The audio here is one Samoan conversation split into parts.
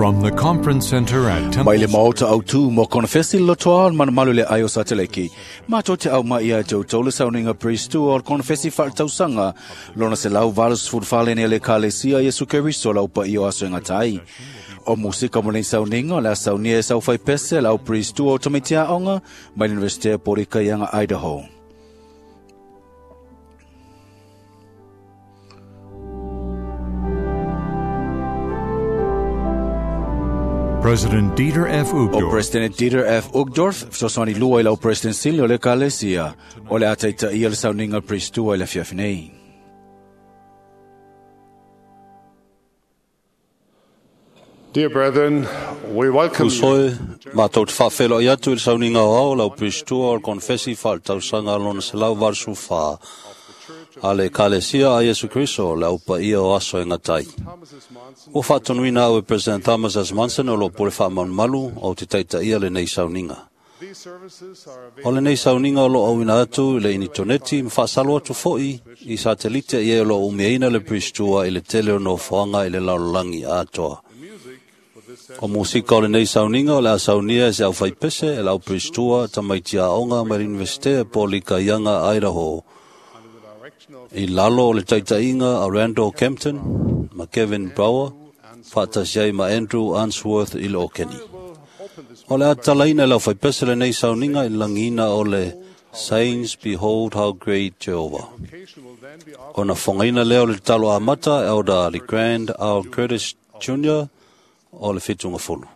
From the Conference Center at Temple Mai le maota au tū mo konfesi lotoa o manumalu le aio sateleki. Mātou te au mai ia te utole sauninga pristu o konfesi whaatausanga. Lona se lau valus fudfalene le kalesia Yesu Keriso lau pa iyo aso inga tai. O musika mo nei sauninga la saunia e sau whai pese lau pristu o tomitia onga mai Universite Porika Ianga Idaho. President Dieter F. O Uchtdorf President Dieter F. Uchtdorf, fesoasoani lua i lau President Sili o le Kalesia, o le ataita ia le sauninga pristua i le fiafi nei. Dear brethren, we welcome you Usoe, mātou te whawhelo i atu i le sauninga o ao lau pristua o le konfesi whaatausanga lona se lau varsu wha. A le kalesia a Yesu Kristo le aupa ia o aso e ngatai. O whaatonuina au e President Thomas S. Monson o lo pore whaamanumalu o te taita ia le nei sauninga. O le nei sauninga o lo auina atu i le initoneti ma whaasalo atu foi i satelite i e o lo umeina le pristua i le tele o nofoanga i le laolangi atoa. O musika o le nei sauninga o le a saunia e se au whaipese e lau pristua tamaiti aonga mai le Universite po Lika Ianga Idaho. I lalo o le taitainga a Randall Kempton ma Kevin Brower, whaatasi ai ma Andrew Answorth i le Okeni. O le atalaina e lau whaipese le nei sauninga i langina o le Saints Behold How Great Jehovah. Ona whangaina leo le talo amata e Elder Le Grand Al Curtis Jr. o le whitunga fulu.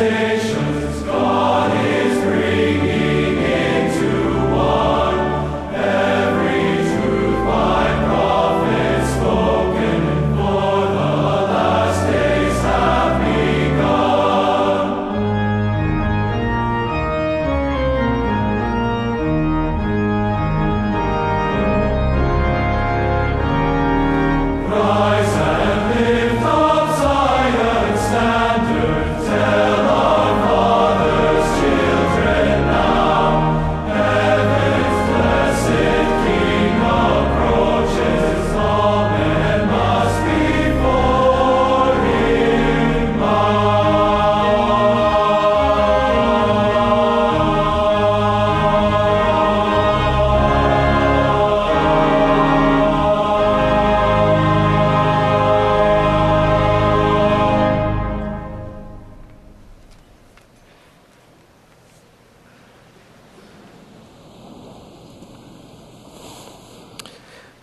Blessings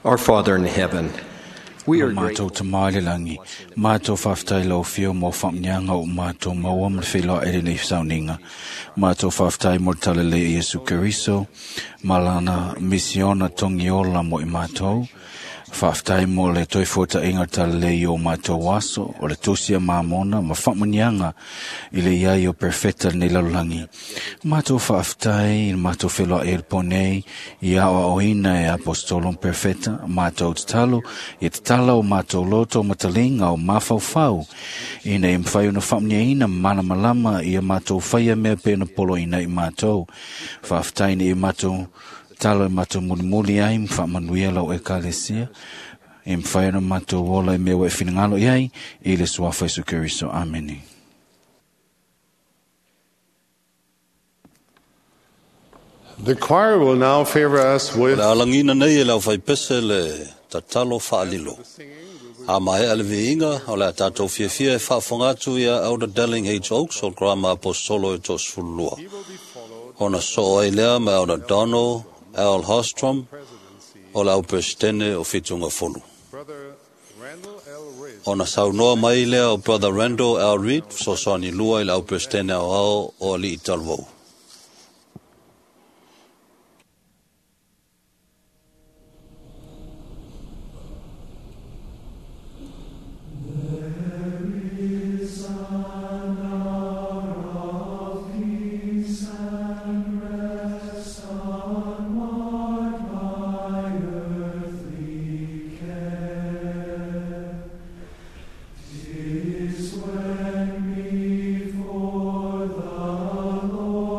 Our Father in heaven, we are Mātou grateful te maile langi, mātou whaftai lau whio mō whamnyanga o mātou maua ma whiloa e lenei sauninga. Mātou whaftai mo talele i Yesu Keriso, malana misiona tongiola mo i mātou. Whaftai mo le toi fota inga talele i o mātou aso, o le tosia māmona ma whamnyanga i le iai o perfecta nei lalulangi. Mātou whaftai, mātou whiloa e ponei, i ao oina e apostolon perfecta, mātou te talo, i te tala o mātou loto matalinga o mawhauwhau. Ina e mwhai ona whamnia ina mana malama i a mātou whaia mea pena polo ina i mātou. Whaftai ni i mātou talo i mātou mulimuli ai mwhamanuia lau e kalesia. E mwhai ona mātou ola i mea wa e whinangalo i ai, i le suafa Isu Keriso. Amene. The choir will now favor us with Le alangina nei e lau whaipese le tatalo whaalilo. A mai a le viinga, o le a tātou fiafia e whaafonga atu ia Elder Delling H. Oaks o Grama Apostolo e tos fulua. Ona soo ai lea ma Elder Donald L. Hostrom o le au presidente o Whitunga Fonu. Ona saunoa mai lea o Brother Randall L. Reed, fesoasoani lua i le au presidente ao ao o Alii Talavou. When before the Lord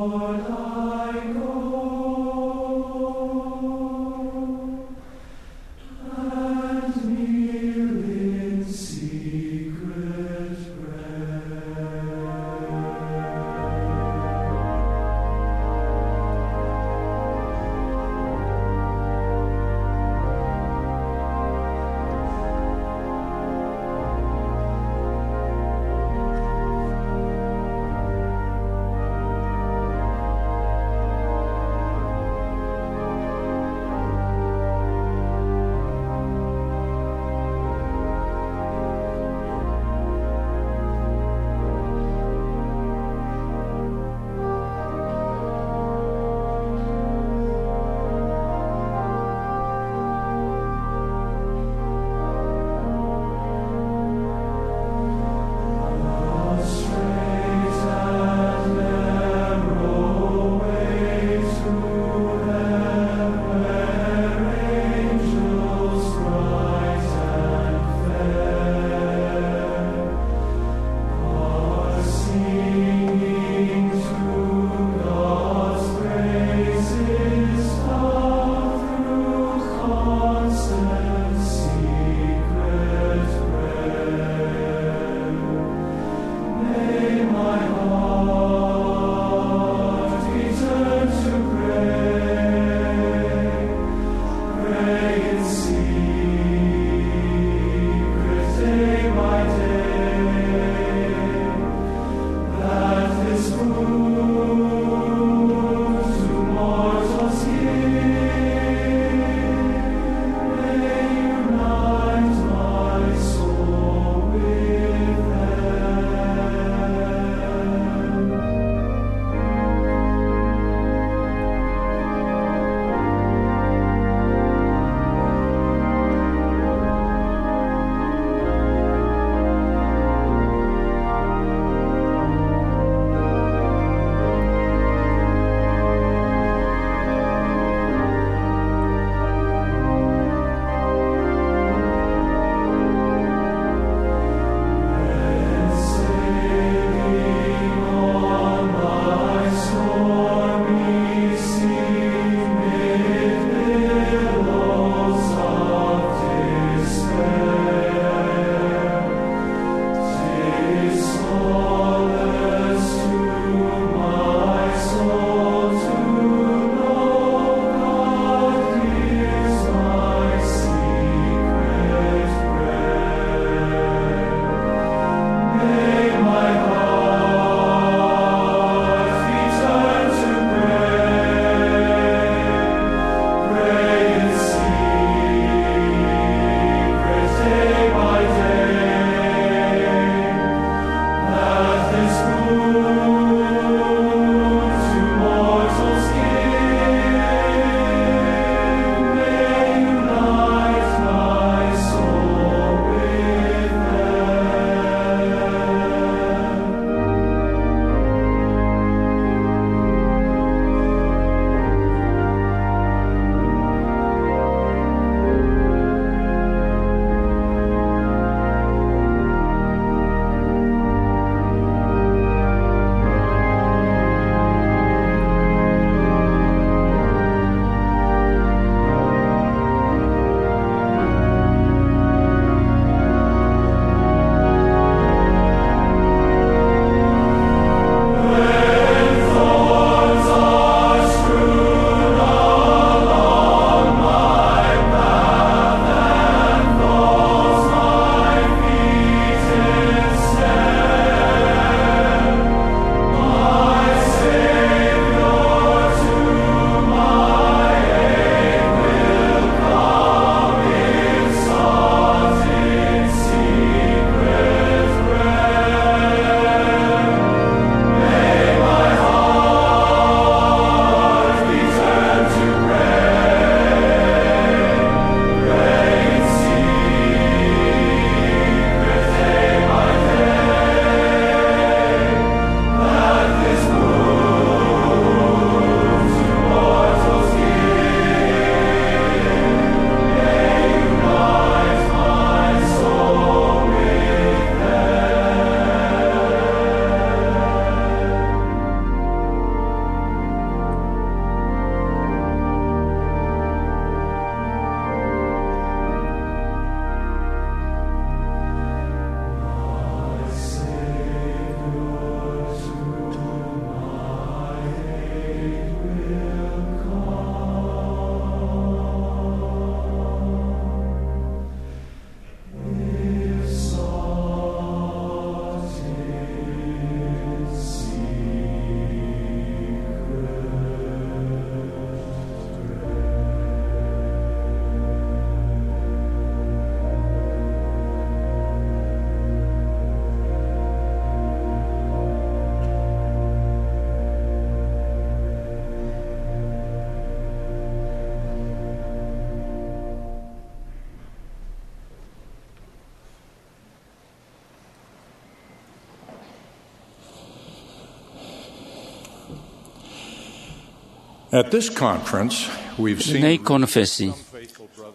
At this conference, we've seen Lenei konofesi,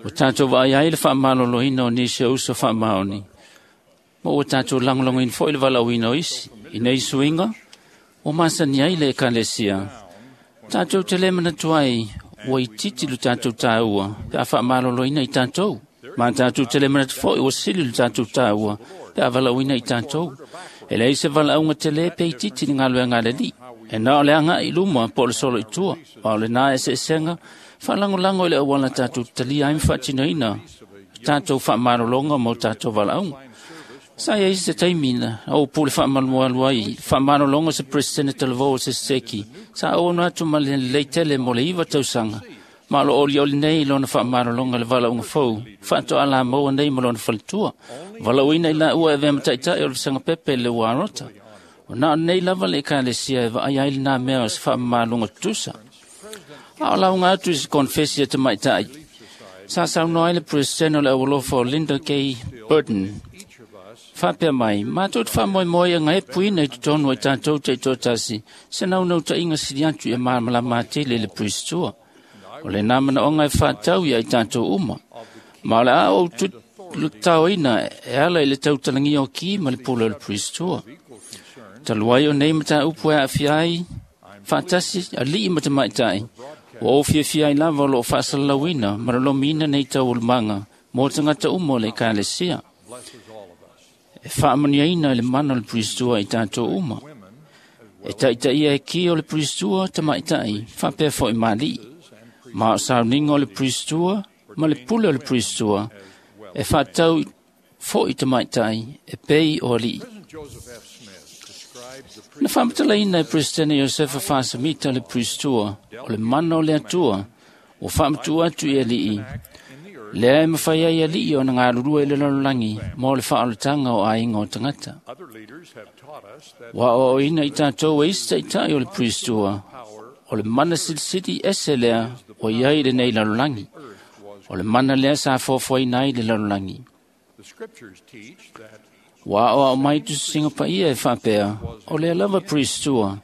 o tātou vaai ai le whaamaloloina o nisi o uso whaamaoni, ma ua tātou langolongoina foi le valaauina o isi, i nei suiga, ua masani ai le ekalesia. Tātou te le manatu ai, ua itiiti lo tātou tāua, pe a whaamaloloina i tātou. Ma tātou te le manatu foi ua sili lo tātou tāua, pe a valaauina i tātou. E leai se valaauga tele pe itiiti le galuega a le Alii. E na o le agai i luma po o le solo i tua, ma o lenā eseesega, faalagolago i le auala tātou talia ai ma faatinoina tātou faamalologa ma o tātou valaauga. Sa iai se taimi na ou pule faamalualu ai, faamalologa se Presidente talavou o se seki, sa auauna atu ma le lelei tele mo le 9 tausaga, ma o lo olioli nei i lona faamalologa le valaauga fou, faatoa lamau nei ma lona faletua. Valaauina i laua e avea ma taitai o le Vasega Pepe le Uarota. O na o nei lava le ekalesia e vaai ai lenā mea o se faamamaluga tutusa. A o lauga atu i se konfesi a tamaitai. Sa saunoa ai le Presidente o le Aualofa o Linda K. Burton. Faapea mai, mātou te whaamoemoe a ngai puina i totonu ai tātou te tōtasi, se naunautaiga sili atu ia malamalama atili le Priestua. O le nā manaoga e whaatau ia i tātou uma. Ma o le a ou tutaoina e ala i le tautalangia o ki ma le pule o le Priestua. Talu ai o nei mataupu e aafia ai, faatasi alii ma tamaitai, ua ou fiafia ai lava o loo faasalalauina ma lolomiina nei taualumaga mo tagata uma o le ekalesia. E faamaniaina i le mana o le Priestua i tātou uma. E taitaia e ki o le Priestua tamaitai, faapea foi ma alii. Ma o sauniga o le Priestua ma le pule o le Priestua, e faatau foi tamaitai e pei o alii. Na faamatalaina e Presidente Iosefa Faasamita le Priestua, o le mana o le Atua, ua faamatuu atu i alii. Lea e mawhai ai alii o na ngalulua i le lalolagi mo le faaolataga o aiga o tagata. Ua aoaoina i tātou e isi taitai o le Priestua, o le mana silisili ese lea ua iai i lenei lalolagi. O le mana lea sa foafoaina ai le lalolagi. Ua aoao mai tusisiga paia e faapea, o lea lava Priestua,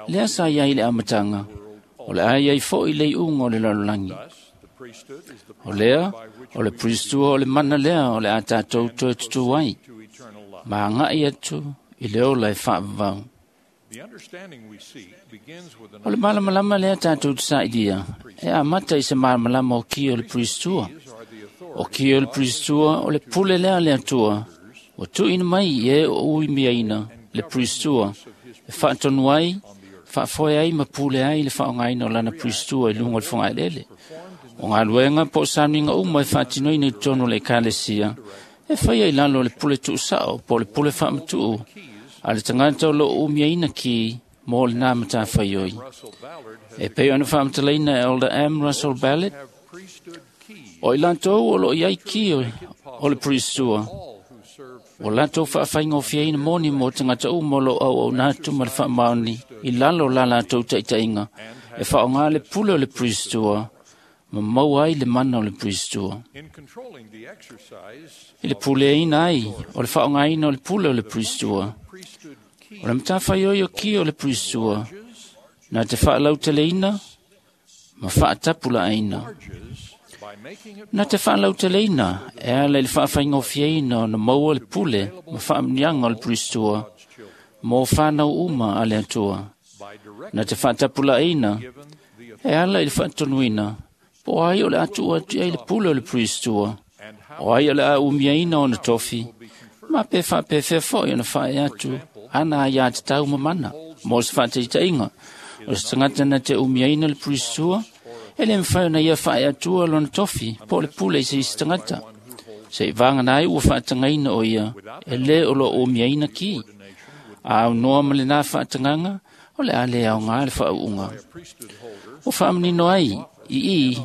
lea sa iai le amataga, o le a iai foi le iuga o le lalolagi. O lea, o le Priestua o le mana lea o le a tātou toe tutū ai, ma agai atu i le ola e faavavau. O le malamalama lea tātou te sailia, e amata i se malamalama o ki o le Priestua. O ki o le Priestua o le pule lea le Atua, ua tuuina mai i e o uimiaina le Priestua, e faatonu ai, faafoe ai ma pule ai le faaaogaina o lana Priestua i luga o le fogaelele. O galuega po o sauniga uma e faatinoina i totonu o le ekalesia, e faia i lalo o le pule tuusao po o le pule faamatuu a le tagata o loo umiaina ki mo lenā matafaioi. E pei ona faamatalaina e Elder M. Russell Ballard, o i latou o loo iai ki o le Priestua, ua latou faafaigofieina moni mo tagata uma o loo auauna atu ma le faamaoni i lalo la latou taitaiga, e faaaoga le pule o le Priestua ma maua ai le mana o le Priestua. I le puleaina ai o le faaaogaina o le pule o le Priestua, o le matafaioi o ki o le Priestua, na te faalauteleina ma faatapulaaina. Na te faalauteleina e ala i le faafaigofieina ona maua le pule ma faamuniaga o le Priestua mo whanau uma a le Atua. Na te faatapulaaina e ala i le faatonuina po ai o le atuu atu ai le pule o le Priestua, o ai o le a umiaina ona tofi, ma pe faapefea foi ona faae atu ana ai a tatau ma mana mo se faataitaiga. O se tagata na te umiaina le Priestua, e le mafai ona ia faae atua lona tofi po o le pule i se isi tagata. Se i vagana ai ua faatagaina o ia, e le o loo umiaina ki. A aunoa ma lenā faatagaga, o le a le aoga le faauuga. O faamanino ai, i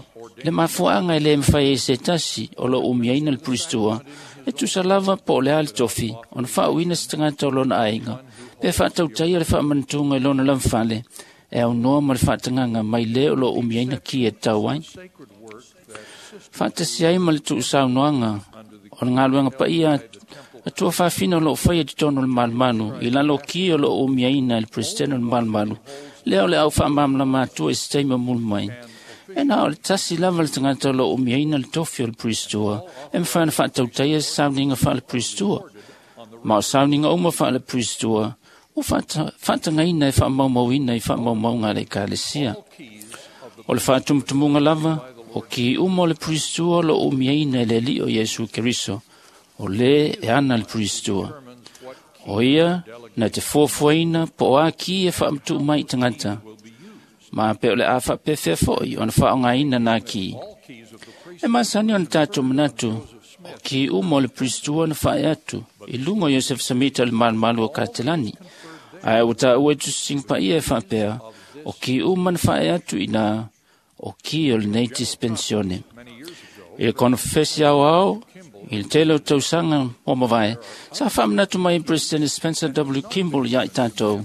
le mafuaaga e le mafai ai se tasi o loo umiaina le Priestua, e tusa lava po o le a le tofi, ona faauuina se tagata o lona aiga, pe faatautaia le faamanatuga i lona lavafale, e aunoa ma le faatagaga mai le o loo umiaina ki e tau ai. Faatasi ai ma le tuusaunoaga o le galuega paia Atua faafina o loo faia i totonu o le malumalu, i lalo ki o loo umiaina e le Presidente o le malumalu, Lea o le au whaamamlama atua i se taima mulu mai. E na o le tasi lava le tagata o lo umiaina le tofi o le Priestua, e mwhai na whaatautaia se sauninga wha le Priestua. Ma o sauninga uma wha le Priestua, o whaatangaina e whaamaumauina i whaamaumaunga le Ekalesia. O le whaatumutumunga lava, o ki uma o le Priestua lo umiaina e le li o Iesu Keriso, o le e ana le Priestua. O ia, na te fuafuaina po o a ki e whaamtu mai tangata. Ma pe o le a whaapewhea foi o na whaongaina nā ki. E masani o na tātou manatu, o ki uma o le Priestua na whae atu, i lunga o Joseph Samita o le malumalu o Katelani. Ae o tā ue tusinga paia e whaapea, o ki uma na whae atu i nā, o ki o le nei dispensione. I le konfesi au au, i le tele o tausanga o mavae, sa whaamanatu mai President Spencer W. Kimball ia i tātou,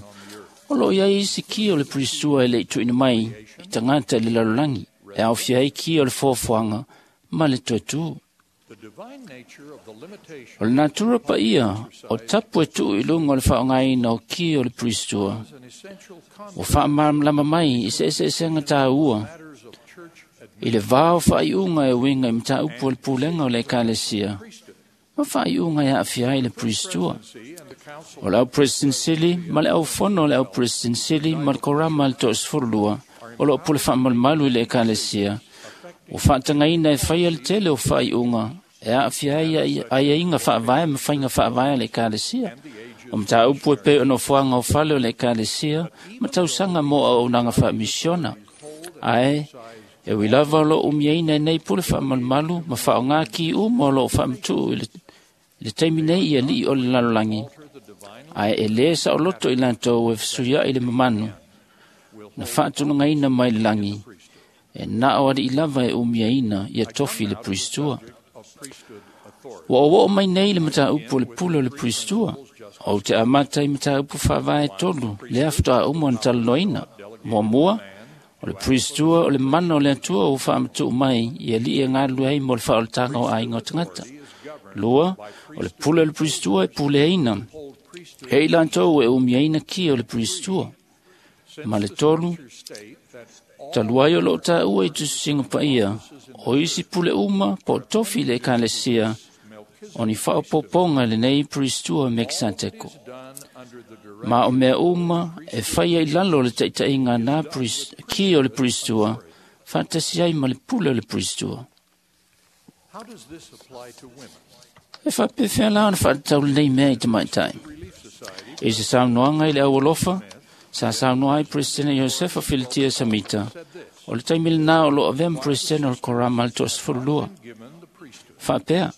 o lo ia isi ki o le Priestua e le tuina mai i tangata i le lalolagi, e aufia ai ki o le foafoaga ma le toetū. O le natura pa ia, o tapu e tuu i lunga o le whaongaina o ki o le Priestua, o whaamamlama mai i se ese esenga tā ua, i le vāo whaaiunga e winga i mtāupu o le pulenga o le Ekalesia, ma whaaiunga e aafia ai le Priestua. O le au President Sili, ma le au fono o le au President Sili, ma le korama le toosfurulua, o lo pule whaamalumalu i le Ekalesia, o whaatangaina e whaia le tele o whaaiunga, e aafia ai aiaiga faavae ma faiga faavae a le Ekalesia. O mataupu e pei ona fuaga o fale o le Ekalesia, ma tausaga mo auaunaga faamisiona. Ae, e ui lava o loo umiaina e nei pule faamalumalu ma faaaogā ki uma o loo faamatuu i le taimi nei i alii o le lalolagi. Ae e lē saoloto i latou e fesuiai le mamanu, na faatulagaina mai le lagi, e na o alii lava e umiaina ia tofi le Priestua. Ua oo mai nei le mataupu o le pule o le Priestua, o te amata i mataupu faavae tolu, le faatoa uma ona talanoaina. Muamua, o le Priestua o le mana o le Atua ua faamatuu mai i alii e galulue ai mo le faaolataga o aiga o tagata. Lua, o le pule o le Priestua e puleaina, e i latou e umiaina ki o le Priestua. Ma le tolu, talu ai o loo tāua i tususinga paia, o isi pule uma po o tofi le Ekalesia, o ni whaopoponga le nei Priestua Mekiseteko. Ma o mea uma e whaia i lalo le taitainga nā ki o le Priestua, whaatasi ai ma le pule o le Priestua. E whapewhea la ona whaatatau le nei mea i te maitai. I se saunoanga i le aualofa, sa saunoa ai President Josefa Filitia Samita, o le taimi lenā o loo avea ma President o le Korama le 32. Whaapea,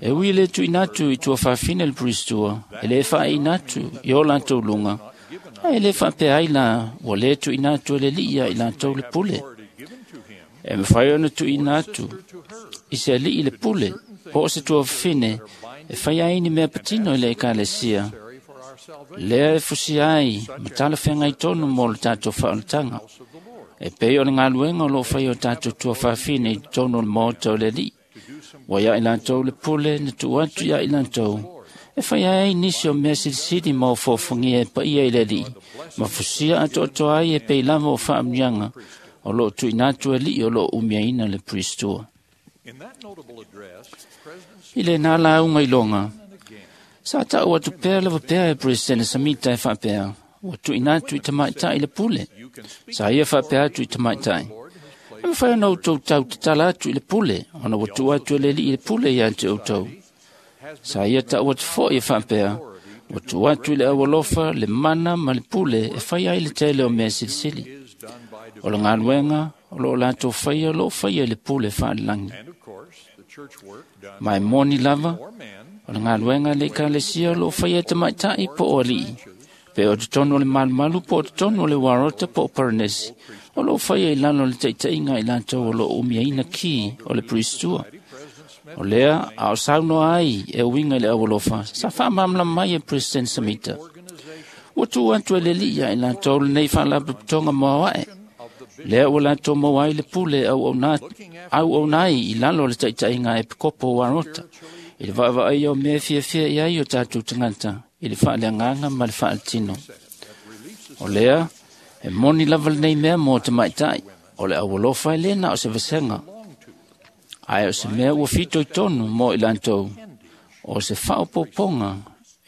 e ui le tuina atu i tua whawhine le Priestua, e le whaeina atu i o lātou lunga, a e le whaapea ai la, ua le tuina atu e le liia i lātou le pule. E mwhai ona tuina atu, i se alii le pule, po o se tua whawhine, e whai ai ni mea patino i le Ekalesia. Lea e fusia ai, ma tala whengai tonu mō le tātou whaonatanga. E pei o le ngaluenga o lo whai o tātou tua whawhine i tonu o le maota o le alii. Ua ia i lātou le pule, na tuu atu ia i lātou. E whai ai nisi o mea silisili ma o fōfungia e paia i le alii. Ma fusia atoatoa ai e pei lava o whaamunianga o loo tuina atu alii o loo umiaina le Priestua. I le nā launga i longa, sa tau atu pea lava pea e President Samita e whaapea, ua tuina atu i tamaitai le pule. Sa ia whaapea atu i tamaitai. E mwhai ona outou tau te tala atu i le pule, ona ua tuu atu e le alii le pule ia te outou. Sa ia tau atu foi e whaapea, ua tuu atu i le aualofa, le mana ma le pule e whai ai le tele o mea silisili. O le ngaluenga, o loo lātou whaia, o loo whaia i le pule whaalilangi. Mai moni lava, o le ngaluenga le Ekalesia o loo whaia te maitai po o alii. Pe o te tonu o le malumalu po o te tonu o le warota po o paranesi. O loo whaia i lalo le taitainga i lātou o loo umiaina ki o le Priestua. O lea, a o saunoa ai e uinga i le aualofa, sa whaamamla mai e President Samita. Ua tuu atu e le lia i lātou le nei whaalapotopotoga moaoae. Lea ua lātou maua ai le pule au ai i lalo le taitainga e pikopo o warota. I le vaavaai o mea fiafia i ai o tātou tangata, i le whaaleanganga ma le whaaletino. O lea, E moni lava lenei mea mo tamaitai, o le aualofa e le na o se vasega, ae o se mea ua fitoitonu mo i latou, o se faaopoopoga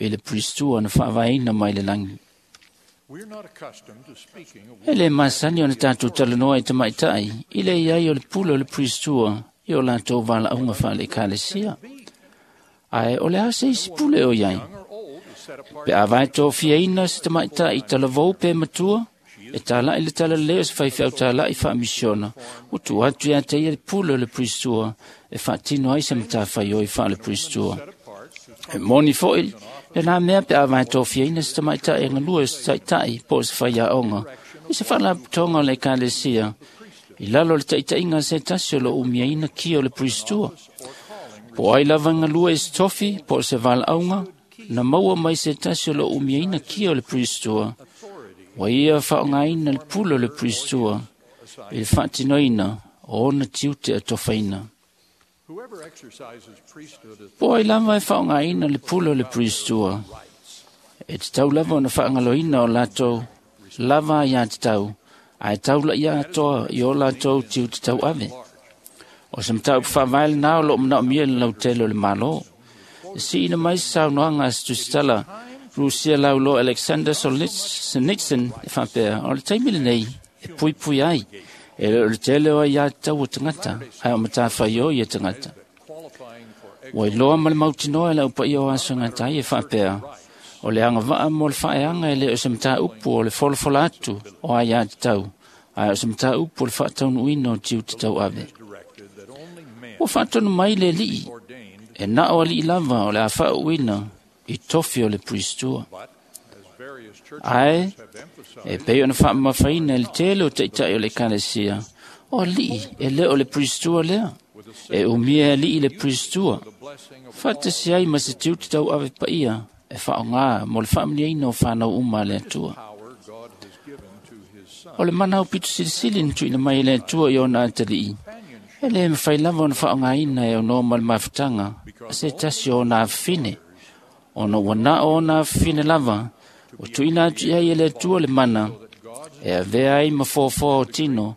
i le Puristua na faavaeina mai le lagi. E le masani ona tatou talanoa i tamaitai i le iai o le pule o le Puristua i o latou valaauga faale-Ekalesia. Ae o le a se isi pule o iai? Pe a vae tofiaina se tamaitai talavou pe matua, e talai le talalelei o se faifeau tala'i faamisiona, ua tuu atu ia te ia le pule o le Puristua e faatino ai se matafaioi faale-Puristua. E moni fo'i lenā mea pe a vae tofiaina se tamaitai e galue o se taʻitaʻi po o se faiaoga i se faalapotopotoga o le Ekalesia i lalo o le taʻitaʻiga a se tasi o loo umiaina kia o le Puristua. Po o ai lava e galue i se tofi po o se valaauga na maua mai se tasi o loo umiaina kia o le Puristua, ua ia faaaogaina le pule o le Puristua i le faatinoina o ona tiute atofaina. Po o ai lava e faaaogaina le pule o le Puristua, e tatau lava ona faagaloina o latou lava aiā tatau, ae taulaʻia atoa i o latou tiute tauave. O se mataupu faavae lenā o loo manaomia i le lautele o le Malo. E siʻina mai se saunoaga a se tusitala Rusia laulo Alexander Solzhenitsyn e faapea, o le taimi lenei e puipui ai, e le o le tele o aiā tatau o tagata, ae o matafaioi ia tagata. Ua iloa ma le mautinoa e le aupaia o aso e gata ai e faapea, o le agavaa mo le faaeaga e le o se mataupu o le folafola atu o aiā tatau, ae o se mataupu o le faataunuuina o tiute tauave. Ua faatonu mai le alii, e na o alii lava o le a faauuina i tofi o le Puristua. Ae, e pei ona faamamafaina e le tele o taʻitaʻi o le Ekalesia, o alii e le o le Puristua lea. E umia e alii le Puristua, faatasi ai ma se tiute tauave paia e faaaogā mo le faamanuiaina o fanau uma a le Atua. O le mana aupito silisili na tuuina mai e le Atua i ona atalii, e le mafai lava ona faaaogaina e aunoa ma le mafutaga a se tasi o ona afafine, ona ua na o ona afafine lava ua tuuina atu i ai e le Atua le mana e avea ai ma foafoa o tino,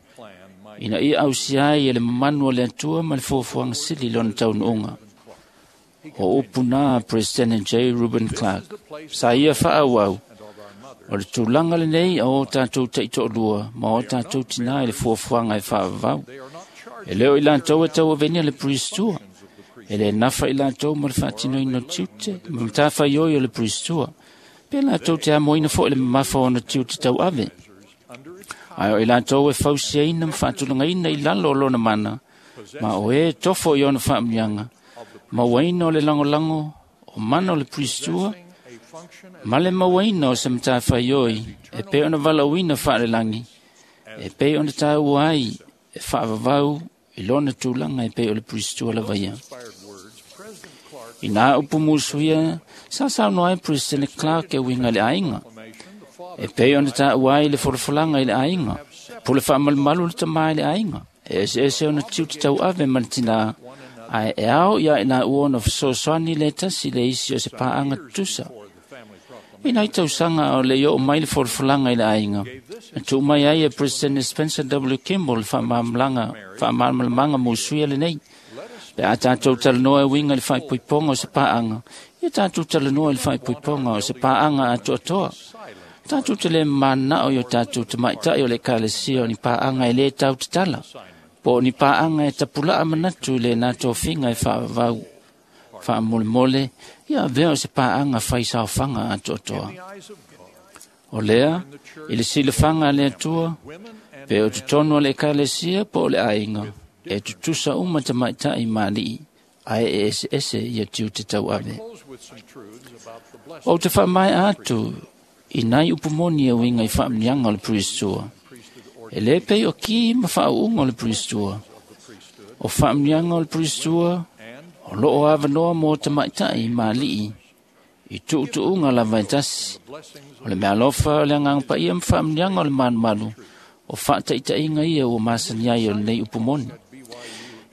ina ia ausia ai e le mamanu o le Atua ma le foafoaga sili lona taunuuga. O upu na President J. Reuben Clark, sa ia faaauau, o le tulaga lenei a o tatou taitoalua ma o tatou tinā i le fuafuaga e faavavau. E le o i latou e tauavenia le Puristua, e le nafa i latou ma le faatinoina o tiute ma matafaioi o le Puristua, pe latou te amoina fo'i le mamafa o ona tiute tauave. Ae o i latou e fausiaina ma faatulagaina i lalo o lona mana, ma o e tofo i ona faamanuiaga, mauaina o le lagolago o mana o le Puristua, ma le mauaina o se matafaioi e pei ona valaauina faalelagi, e pei ona taua ai e faavavau i lona tulaga e pei o le Puristua lava ia. Inā upu musuia, sa saunoa ai President Clark e uiga i le aiga, e pei ona taua ai le folafolaga i le aiga, pule faamalumalu le tamā i le aiga, e eseese ona tiute tauave ma le tinā, ae e ao ia i laua ona fesoasoani le tasi le isi o se paaga tutusa. I nai tausaga o le i oo mai le folafolaga i le aiga, na tuu mai ai e President Spencer W. Kimball le faamalamalamaga musuia lenei. Pe a tatou talanoa e uiga i le faaipoipoga o se paaga, ia tatou talanoa i le faaipoipoga o se paaga atoatoa. Tatou te le mananao i o tatou tamaitai o le Ekalesia o ni paaga e lē tautatala, po o ni paaga e tapulaa manatu i lenā tofiga e faavavau faamolemole, ia avea o se paaga faisaofaga atoatoa. O lea, i le silafaga a le Atua, pe o totonu o le Ekalesia po o le aiga, e tutusa uma tamaitai ma alii, ae e eseese ia tiute tauave. Ou te faamaea atu i nai upu moni e uiga i faamanuiaga o le Puristua. E le pei o ki ma faauuga o le Puristua. O faamanuiaga o le Puristua o loo avanoa mo tamaitai ma alii i tuutuuga lava e tasi. O le meaalofa o le Agaga Paia ma faamanuiaga o le malumalu o faataitaiga ia ua masani ai o lenei upu moni.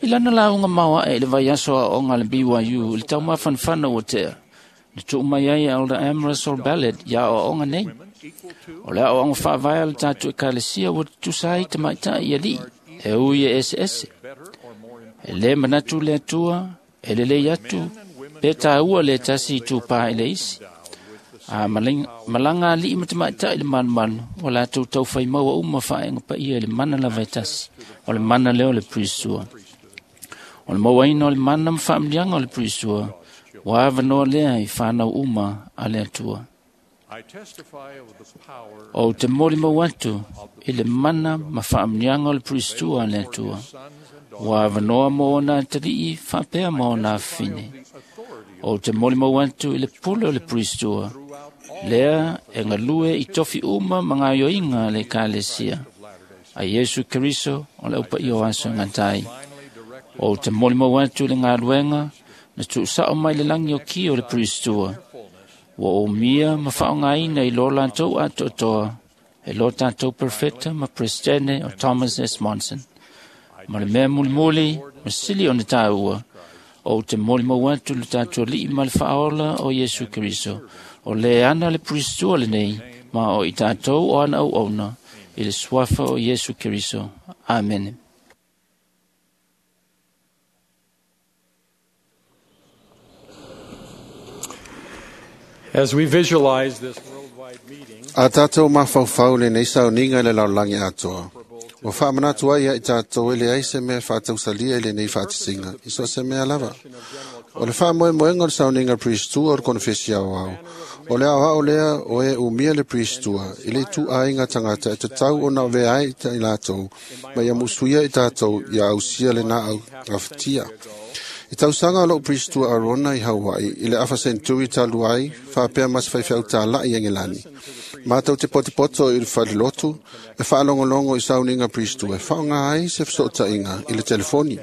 I lana lauga maoaʻe i le vaiaso aoaoga a le BYU i le taumafanafana ua tea, na tuu mai ai e Elder M. Russell Ballard ia aoaoga nei. O le aoaoga faavae a le tatou ekalesia ua tutusa ai tamaitai i alii e ui e eseese. E lē manatu le Atua e lelei atu pe tāua le tasi itupā i le isi. A malaga alii ma tamaitai i le malumalu, ua latou taufaimaua uma faaega paia i le mana lava e tasi, o le mana lea o le Pirisua. O le mauaina o le mana ma faamanuiaga o le Pirisua, ua avanoa lea i fanau uma a le Atua. Ou te molimau atu i le mana ma faamanuiaga o le Pirisua a le Atua, ua avanoa mo ona atalii faapea ma ona afafine. Ou te molimau atu i le pule o le Pirisua, lea e galue i tofi uma ma gaoioiga a le Ekalesia a Iesu Keriso o le aupaia o aso e gata ai. Ou te molimau atu i le galuega na tuusao mai le lagi o ki o le Pirisua, ua umia ma faaaogaina i lo latou atoatoa e lo tatou Perfeta ma Peresetene o Thomas S. Monson. Ma le mea mulimuli ma sili ona tāua, ou te molimau atu le tatou Alii ma le Faaola o Iesu Keriso, o le ana le Pirisua lenei, ma o i tatou o ana auauna, i le suafa o Iesu Keriso. Amene. As we visualize this worldwide meeting, A tātou mafaufau lenei sauniga i le lalolagi atoa. Ua faamanatu ai ia i tātou e leai se mea faatausalia i lenei faatasiga, i so o se mea lava. O le faamoemoega o le sauniga Piristua o le konefesi aoao, o le aoao lea o e umia le Piristua i le ituaiga tagata e tatau ona avea ai i latou, ma ia musuia i tātou ia ausia lena gafatia. I tausaga o lou Piristua Arona i Hawaii i le afa senturi talu ai, faapea ma se faifeau tāla'i e Ngelani. Mātou te potopoto i le falelotu e faalogologo i sauniga Piristua e faaaoga ai se fesootaiga i le telefoni.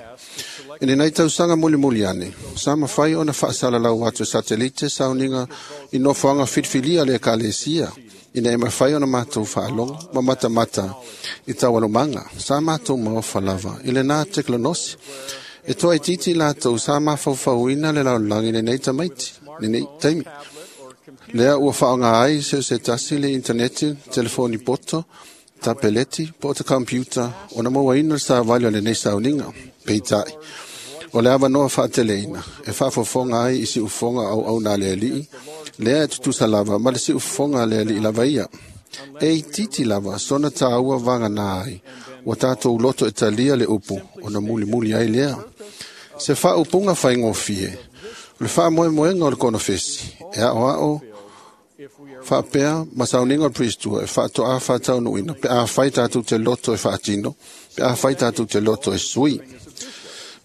I lenei tausaga mulimuli ane, sa mafai ona faasalalau atu e satelite sauniga i nofoaga filifilia le ekalesia, ina e mafai ona matou faalogo ma matamata i taualumaga. Sa matou maofa lava i lena tekonolosi. E toaitiiti latou sa mafaufauina le lalolagi lenei tamaiti, lenei taimi. Lea ua faaaoga ai se se tasi le interneti, telefoni poto, tapeleti, po o te computer, ona mauaina le savali o lenei sauniga. Peitai, o le avanoa faateleina, e faafofoga ai i siufofoga auauna a le Alii, lea e tutusa lava ma le siufofoga a le Alii lava ia. E itiiti lava sona tāua vagana ai, ua tātou loto e talia le upu, ona mulimuli ai lea. Se faaupuga faigofie, o le faamoemoega o le konofesi, e aoao faapea ma sauniga o le Piristua e faatoa faataunuuina pe afai tatou te loto e faatino, pe afai tatou te loto e sui.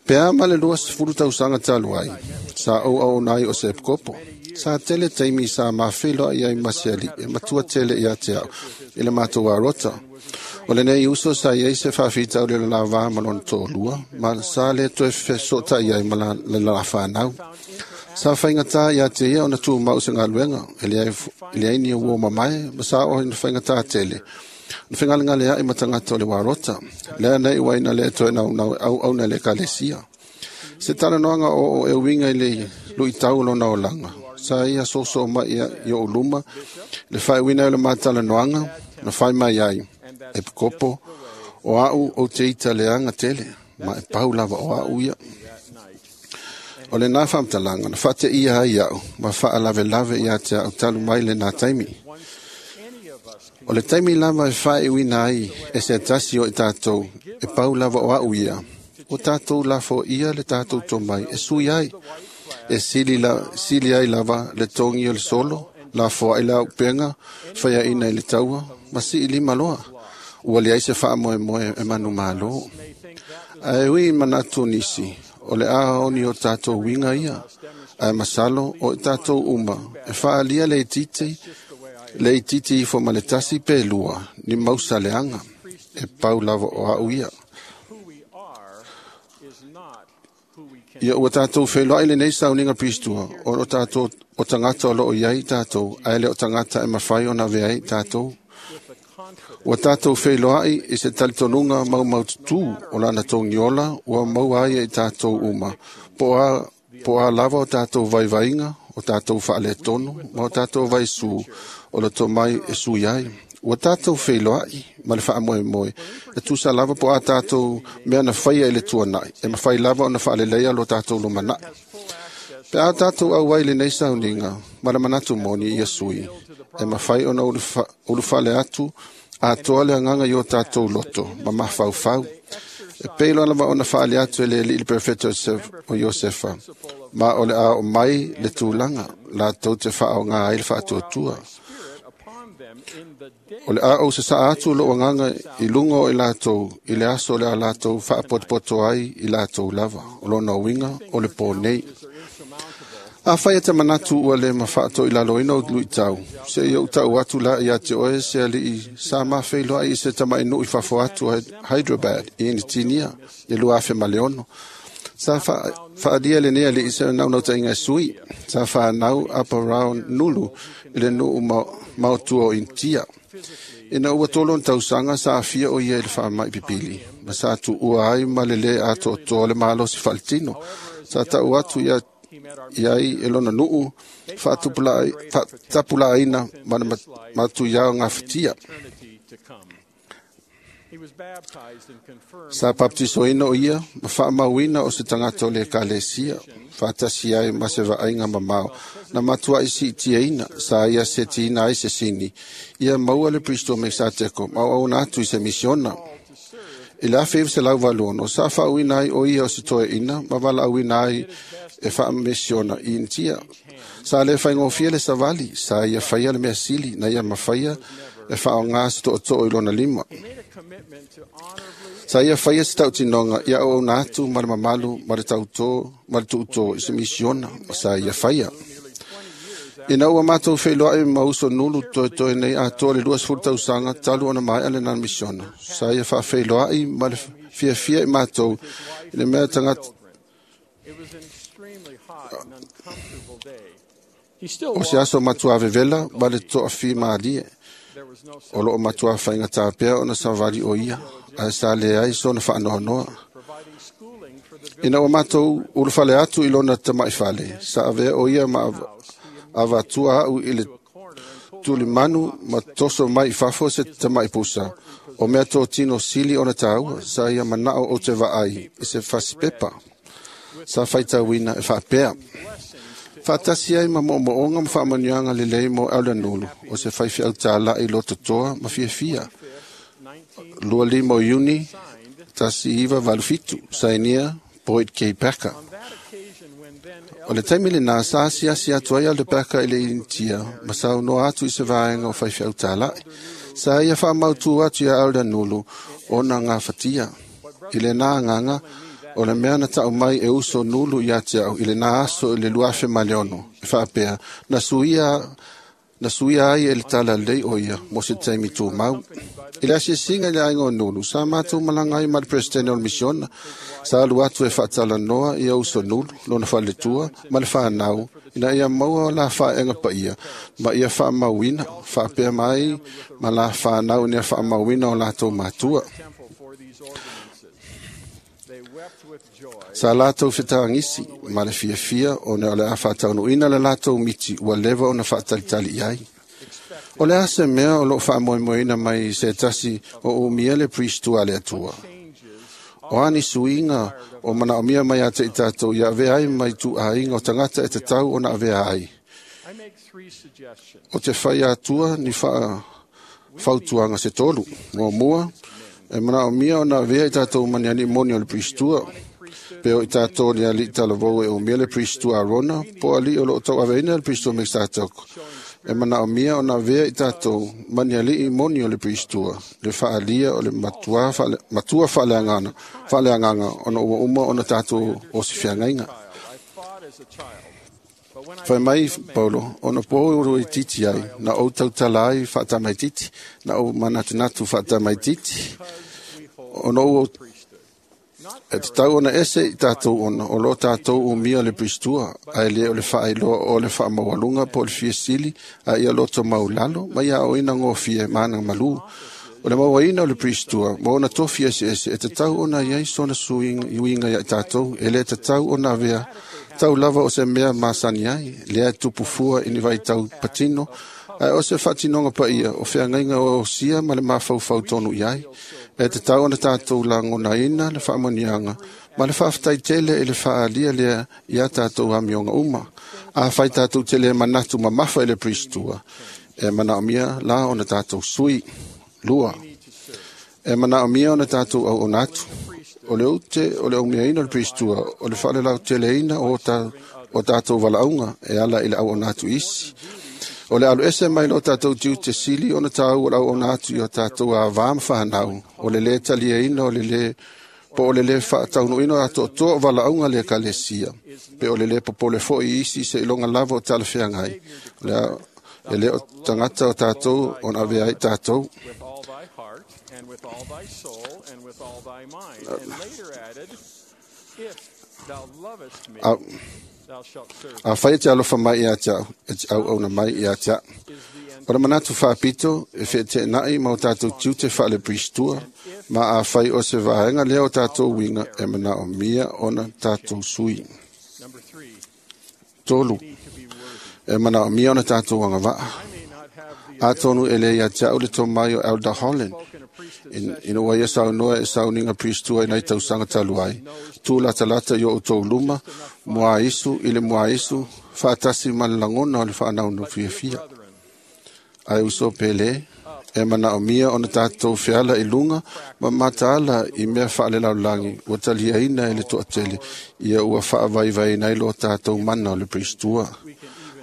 Pe a ma le 20 tausaga talu ai, sa ou auauna ai o se epikopo. Sa tele taimi sa mafeiloai ai ma se alii e matua tele ia te au i le matou arota. O lenei uso sa iai se faafitauli o le lavā ma lona toalua, ma sa le toe fesootai ai ma le la whanau. Sa whaingatā ia te ia ona tūmau se galuega, e leai ni uo mamae, ma sa o ina whaingatā tele. Na whengalengale ai ma tangata o le warota, lea nei ua ina le toe naunau au au na le ekalesia. Se talanoaga o e uiga i le luitau o lona olaga. Sa ia soso mai ia i o luma, le faaiuina o le matalanoaga, na fai mai ai, e pikopo, o au o te ita leaga tele, ma e pau lava o au ia. O le nā whamtalanga, na whate ia ai au, ma whaalavelave ia te au talu mai le nā taimi. O le taimi lava e faaiuina ai e se tasi o i tātou, e pau lava o au ia. O tātou lafo ia le tātou tomai e sui ai. E sili ai lava le tongi o le solo, lafo ai la upenga, whaia ina i le taua, ma si i lima loa. Ua leai se faamoemoe e manu malo. Ae ui manatu nisi, o le a oni o tātou winga ia, ae masalo o i tātou uma, e faalia le itiiti ifo ma le tasi pe lua, ni mausa leaga, e pau lava o au ia. Ia ua tātou wheloai lenei sauniga Piristua, o tātou o tangata o loo iai tātou, ae le o tangata e mawhai o na veai tātou. Ua tātou wheloai i se talitonunga mau maututu o lana tongiola, ua maua ai i tātou uma. Po a lava o tātou vaivainga, o tātou whaaletonu, ma o tātou vaisu, o le tomai e sui ai. Ua tātou wheiloai ma le whaamoemoe. E tusa lava po a tātou mea na whaia i le tuanai. E mawhai lava o na whaaleleia lo tātou lumanai. Pe a tātou au ai le nei sauninga, ma le manatu moni ia sui. E mawhai o na uluwhale atu, a toa le anganga i o tātou loto, ma mawhaufau. E peilo lava o na whaale atu e le li perfetto o Iosefa. Ma o le a o mai le tūlanga, la tau te whaao ngā ai le whaatuatua. O le a o se saa atu lo anganga i lunga o i lātou, i le aso le a lātou whaapotopoto ai i lātou lava, o lona uinga o le pō nei. A whai e te manatu ua le mawhaato i lalo ina o lui tau, se i o tau atu la i ate oe se ali i sa mawheiloa i se tama inu i fafo atu Hyderabad i Initinia, i lua afe maleono. Sa whaadia le nea le i se nau ta inga sui, sa whanau aparau nulu i le nuu mautua o Intia. Ina ua tolon tausanga sa afia o ia i le whaamai pipili, ma sa tu ua ai ma le le ato toa le malo si whalitino. Sa tau atu ia iai e lona nuu whaatapula aina ma le matu iao ngā whitia. Sa baptisoina o ia, ma whaamauina o se tangata o le kalesia, whaatasi ai ma se vaaiga mamao, na matua i si tiaina, sa ia se tiina ai se sini, ia maua le Pristo me sa teko, mau au atu i se misiona. I la whiw se lau valuono, sa whaauina ai o ia o se toe ina, ma wala auina ai e whaamisiona i intia. Sa le whaingofia le savali, sa ia whaia le mea sili, na ia mawhaia e whaonga se to'oto'o i lona lima. Sa ia whaia se tautinonga, ia au au atu ma le mamalu, ma le tauto, ma le tuuto i se misiona, sa ia whaia. Ina ua mātou wheiloa e mauso nulu toe toe nei a toa le 20 tausanga talu ona mai ale nā misiona. Sa ia whaawheiloa i ma le fiafia i mātou i le mea tangata. O se aso matua vevela ma le toa fi maalie. O loo matua whainga tāpea ona savali o ia, a sa le ai sona whaanoanoa. Ina ua mātou ulufale atu i lona tamaifale, sa avea o ia ma avatua au i le tulimanu ma toso mai i fafo se tamaipusa. O mea tō tino sili ona tāua, sa ia manao o te vaai i se fasipepa. Sa whaitauina e whaapea. Whaatasi ai ma moomoonga ma whaamanianga le lei mo Alanulu, o se whaiwhi au tāla i loto toa ma fiafia. 25 Iuni, 1987, sainia Boyd K. Packer. O le taimi le nā sa siasi atu ai le peka i le Intia, ma sau noa atu i se vaenga o whaiwhi au tālai. Sa ia whaamautu atu ia Alanulu o nā ngā whatia. I le nā nganga, o le mea na tau mai e uso nulu i ate au, i le nā aso i le luafe maleono, e whaapea, na suia ai e le tala lei o ia, mo se taimi tū mau. I le asiasinga i le ainga o nulu, sa mātou malanga ai ma le presidente o le misiona, sa alu atu e whaatala noa i au uso nulu, lona whaletua, ma le whanau, ina ia maua la whaenga pa ia, ma ia whaamauina, whaapea mai, ma la whanau ina whaamauina o lātou mātua. Sa lātou whitaangisi, ma le fiafia o ne o le a whaataunuina le lātou miti ua lewa o na whaatalitali i ai. O le ase mea o loo whaamoemoeina mai se tasi o umia le pristu a le atua. O ani suinga o mana o mia mai ate i tātou ia avea ai mai tu ainga o tangata e te tau o na avea ai. O te whai atua ni whautuanga se tolu. Mua mua, e mana o mia o na avea i tātou maniani moni o le pristua. Pe o i tātou ni ali talavou e o mia le pristua Arona, po ali o loo tau aveina le pristua me tātou. E mana o mia o na vea i tātou maniali i moni o le pristua, le whaalia o le matua whaaleanganga o na ua uma o na tātou o si whiangainga. Whai mai, Paulo, o na pō i titi ai, na o tautala ai whaatamai titi, na o manatunatu whaatamai titi, o na ua e te tau ona ese i tātou ona, o lo tātou o mia le pristua, a le o le whaailoa o le whaamaualunga po le fiasili, a ia loto maulalo, ma ia o ina ngōfie mānanga malu. O le mauaina o le pristua, ma ona tofi ese ese, e te tau ona iai sona suiinga ia i tātou, e le te tau ona vea, tau lava o se mea masani ai, lea e tupufua i ni vai tau patino, Ae o se faatinoga paia o feagaiga o osia ma le mafaufau tonu i ai. E tatau ona tatou lagonaina le faamanuiaga ma le faafetai tele i le faaalia lea ia tatou amioga uma. Afai tatou te le manatu mamafa i le Pristua, e manaomia la ona tatou sui. 2. E manaomia ona tatou auauna atu. O le ute o le aumeaina o le Pristua, o le faalelauteleina o tatou valaauga e ala i le auauna atu isi. O le alu ese mai lo tatou tiute sili ona tāua o le auauna atu i o tatou avā ma whanau, o le le taliaina o le le po o le le faataunuuina o atoatoa o valaauga le ekalesia, pe o le le popole foi isi se iloga lava o talafeagai. E le o tagata o tatou ona avea ai tatou. With all thy heart and with all thy soul and with all thy mind. And later added, if thou lovest me, thou shalt serve. Afai e te alofa mai ia te au, e te auauna mai ia te au. O le manatu faapito e feeteenai ma o tatou tiute faale Pristua, ma afai o se vaega lea o tatou uiga e manaomia ona tatou sui. Number 3, 3. E manaomia ona tatou agavaa. Atonu e le ia te au le tomai o Elder Holland. Ina ua ia saunoa e sauniga Pristua i nai tausaga talu ai. Tu latalata i o outou luma, mua isu i le mua isu, faatasi ma le lagona o le faanaunau fiafia. Ae uso pele, e manaomia ona tatou feala i luga ma mataala i mea faalelaulagi ua taliaina e le toatele, ia ua faavaivaiina ai lo tatou mana o le Pristua.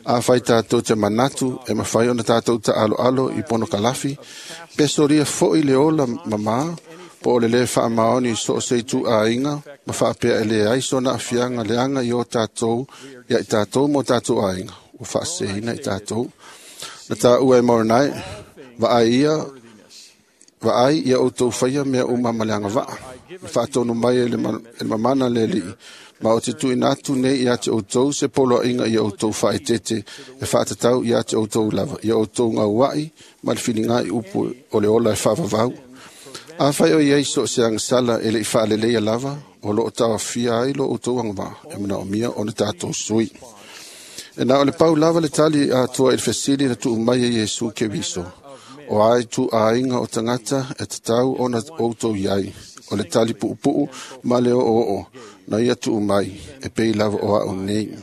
Afai tatou te manatu e mafai ona tatou taaloalo i ponokalafi, pe solia foi le ola mamā, po o le le faamaoni so o se ituaiga ma faapea e leai sona aafiaga leaga i o tatou ia i tatou ma o tatou aiga, ua faaseseina i tatou. Na tāua e Moronai, vaai ia outou faia mea uma ma le agavaa. Na faatonu mai e le mamana le alii, ma o te tuuina atu nei ia te outou se poloaiga ia outou faaeteete e faatatau ia te outou lava, ia outou gauai ma le filiga i upu o le ola e faavavau. Afai o iai so o se agasala e le i faaleleia lava, o loo taofia ai lo outou agavaa, e manaomia ona tatou sui. E na o le pau lava le tali atoa i le fesili na tuu mai e Iesu Keriso. O ai tuaiga o tagata e tatau ona outou iai, o le tali puupuu ma le oo na ia tuu mai, e pei lava o au nei.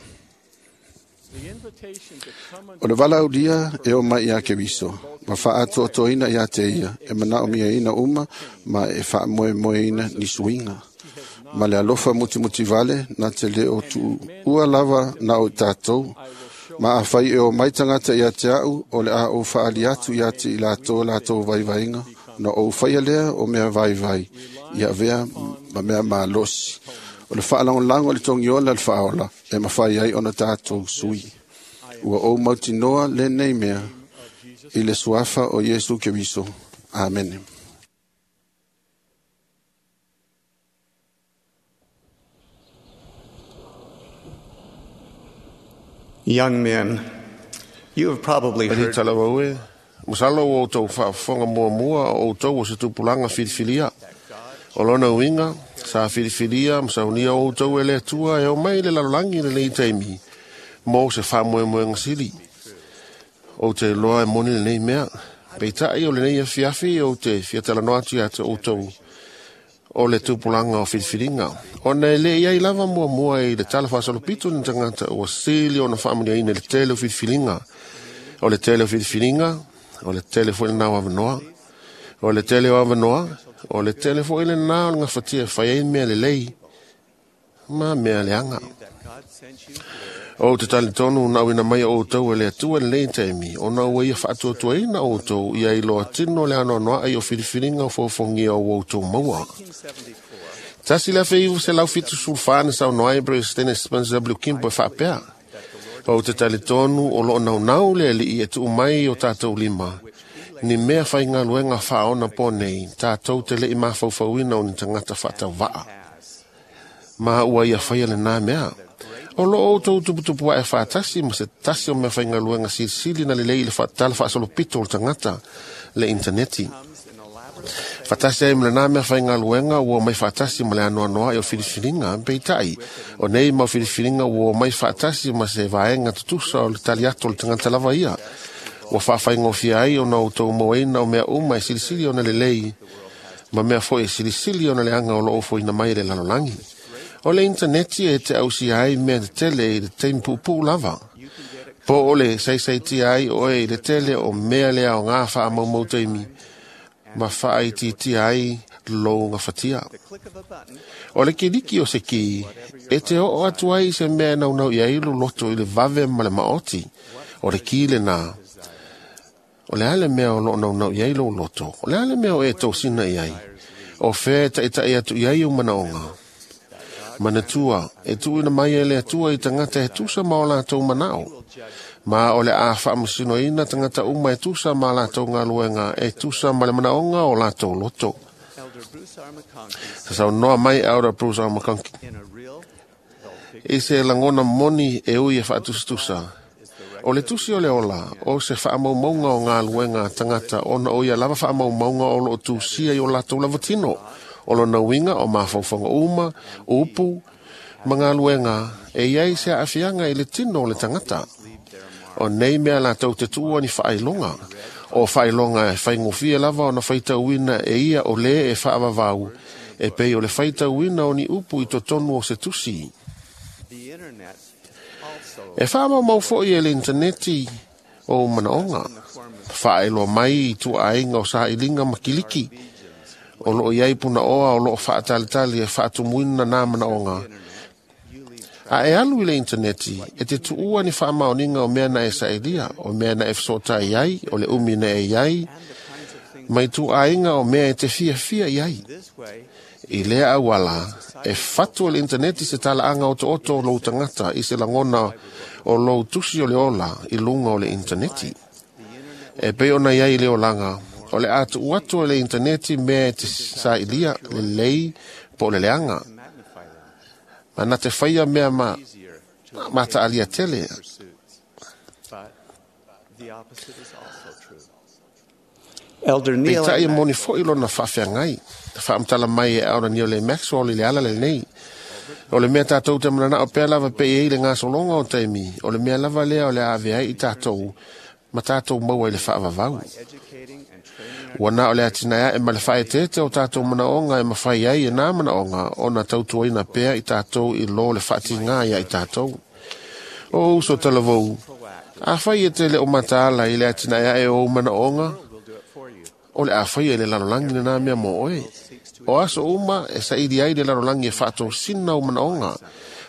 O le valaaulia e o mai ia Keriso, ma faatoatoina ia te ia, e manaomiaina uma ma e faamoemoeina ni suiga. Ma le alofa mutimutivale na te le o tuua lava na o tatou. Ma afai e o mai tagata ia te au, o le a ou faali atu ia te i latou latou vaivaiga, na ou faia lea o mea vaivai, ia avea ma mea malosi. O le faalagolago i le togiola le faaola, e mafai ai ona tatou sui. Ua ou mautinoa lenei mea, i le suafa o Iesu Keriso. Amene. Young men, you have probably heard Talawaue, masalo o outou faafofoga muamua o outou o se tupulaga filifilia. O lona uiga, sa filifilia ma saunia o outou e le Atua e omai i le lalolagi i lenei taimi, mo se faamoemoega sili. Ou te iloa e moni lenei mea. Peitai o lenei afiafi ou te fiatalanoa atu ia te outou o le tupulaga o filifiliga. Ona e le iai lava muamua i le tala faasolopito ni tagata ua sili ona faamanuiaina i le tele o filifiliga. O le tele o filifiliga, o le tele foi lenā o avanoa. O le tele o avanoa, o le tele foi lenā o le gafatia e fai ai mea lelei ma mea leaga. Ou te talitonu na auina mai o outou e le Atua lenei taimi, ona ua ia faatuatuaina outou ia iloa tino le anoanoai o filifiliga o fofogia o outou maua. 1974 na saunoa ai Presidente Spencer W. Kimball e faapea. Ou te talitonu o loo naunau le alii e tuu mai o tatou lima. Ni mea faigaluega faaona po nei, tatou te lei mafaufauina o ni tagata faatauvaa. Ma ua ia faia lenā mea. O loo outou tuputupu ae faatasi ma se tasi o mea faigaluega silisili na lelei i le tala faasolopito o le tagata le interneti. Faatasi ai ma lenā mea faigaluega ua omai faatasi ma le anoanoai o filifiliga, peitai o nei mau filifiliga ua omai faatasi ma se vaega tutusa o le tali atu o le tagata lava ia. Ua faafaigofie ai ona outou mauaina o mea uma e silisili ona lelei, ma mea foi e silisili ona leaga o loo ofoina mai e le lalolagi. O le intaneti e te ausia ai mea tetele i le taimi puupuu lava. Po o le saisaitia ai oe i le tele o mea le aoga faamaumau taimi, ma faaitiitia ai lou gafatia. O le kiliki o se ki, e te oo atu ai i se mea e naunau i ai lou loto i le vave ma le maoti. O le ki lenā. O le a le mea o loo naunau i ai lou loto? O le a le mea o e tosina i ai? O fea e taʻitaʻi atu i ai ou manaoga? Manatua, e tuuina mai e le Atua i tagata e tusa ma o latou manao. Ma o le a faamasinoina tagata uma e tusa ma latou galuega, e tusa ma le manaoga o latou loto. Sa saunoa mai Elder Bruce R. McConkie i se lagona moni e ui e faatusatusa. O le tusi o le ola, o se faamaumauga o galuega a tagata ona o ia lava faamaumauga o loo tusia i o latou lava tino. O lona uiga o mafaufauga uma, upu ma galuega e iai se aafiaga i le tino o le tagata. O nei mea latou te tuua ni faailoga. O faailoga e faigofie lava ona faitauina e ia o lē e faavavau, e pei o le faitauina o ni upu i totonu o se tusi. E faamaumau foi e le intaneti o manaoga. Faailoa mai i tuaaiga o sailiga ma kiliki. O loo iai punaoa o loo faatalitali e faatumuina nā manaoga. A e alu i le intaneti, e te tuua ni faamaoniga o mea na e sailia, o mea na e fesoatai ai, o le umi na e iai, mai tuaaiga o mea e te fiafia i ai. I lea auala, e fatu e le intaneti se talaaga otooto o lou tagata i se lagona o lou tusi o le ola i luga o le intaneti. E pei ona iai le olaga, o le a tuu atu e le intaneti mea e te sailia lelei po o le leaga. Ma na te faia mea ma taalia tele. Peitai e moni foi lona faafeagai. Faamatala mai e Elder Neal A. Maxwell i le ala lenei. O le mea tatou te mananao pea lava pe i ai le gasologa o taimi, o le mea lava lea o le a ave ai i tatou ma tatou maua i le faavavau. Ua na o le atinae ae ma le faaeteete o tatou manaoga e mafai ai e nā manaoga ona tautuaina pea i tatou i lo le faatigā ia i tatou. O uso talavou, afai e te le o mataala i le atinae ae o ou manaoga, o le a faia i le lalolagi lenā mea mo oe. O aso uma e saili ai le lalolagi e faatosina o manaoga,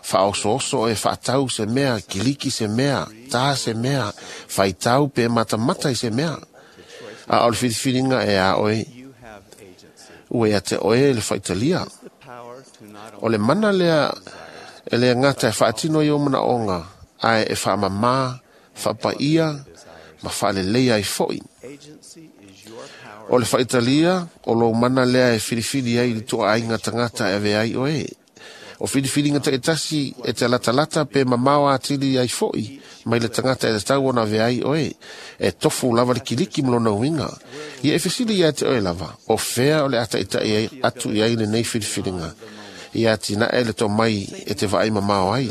faaosooso e faatau se mea, kiliki se mea, tā se mea, faitau pe matamata i se mea. A o le filifiliga e a oe, ua ia te oe le faitalia. O le mana lea e le gata e faatino i o manaoga, ae e faamamā, faapaia, ma faaleleia ai foi. O le faitalia, o lou mana lea e filifili ai i le tuaaiga tagata e ave ai oe. O filifiliga taitasi e te latalata pe mamao atili ai foi mai le tagata e tatau ona ave ai oe. E tofu lava le kiliki ma lona uiga. Ia e fesili ia te oe lava, o fea o le a taʻitaʻi atu i ai lenei filifiliga. Ia atinae le tomai e te vaai mamao ai.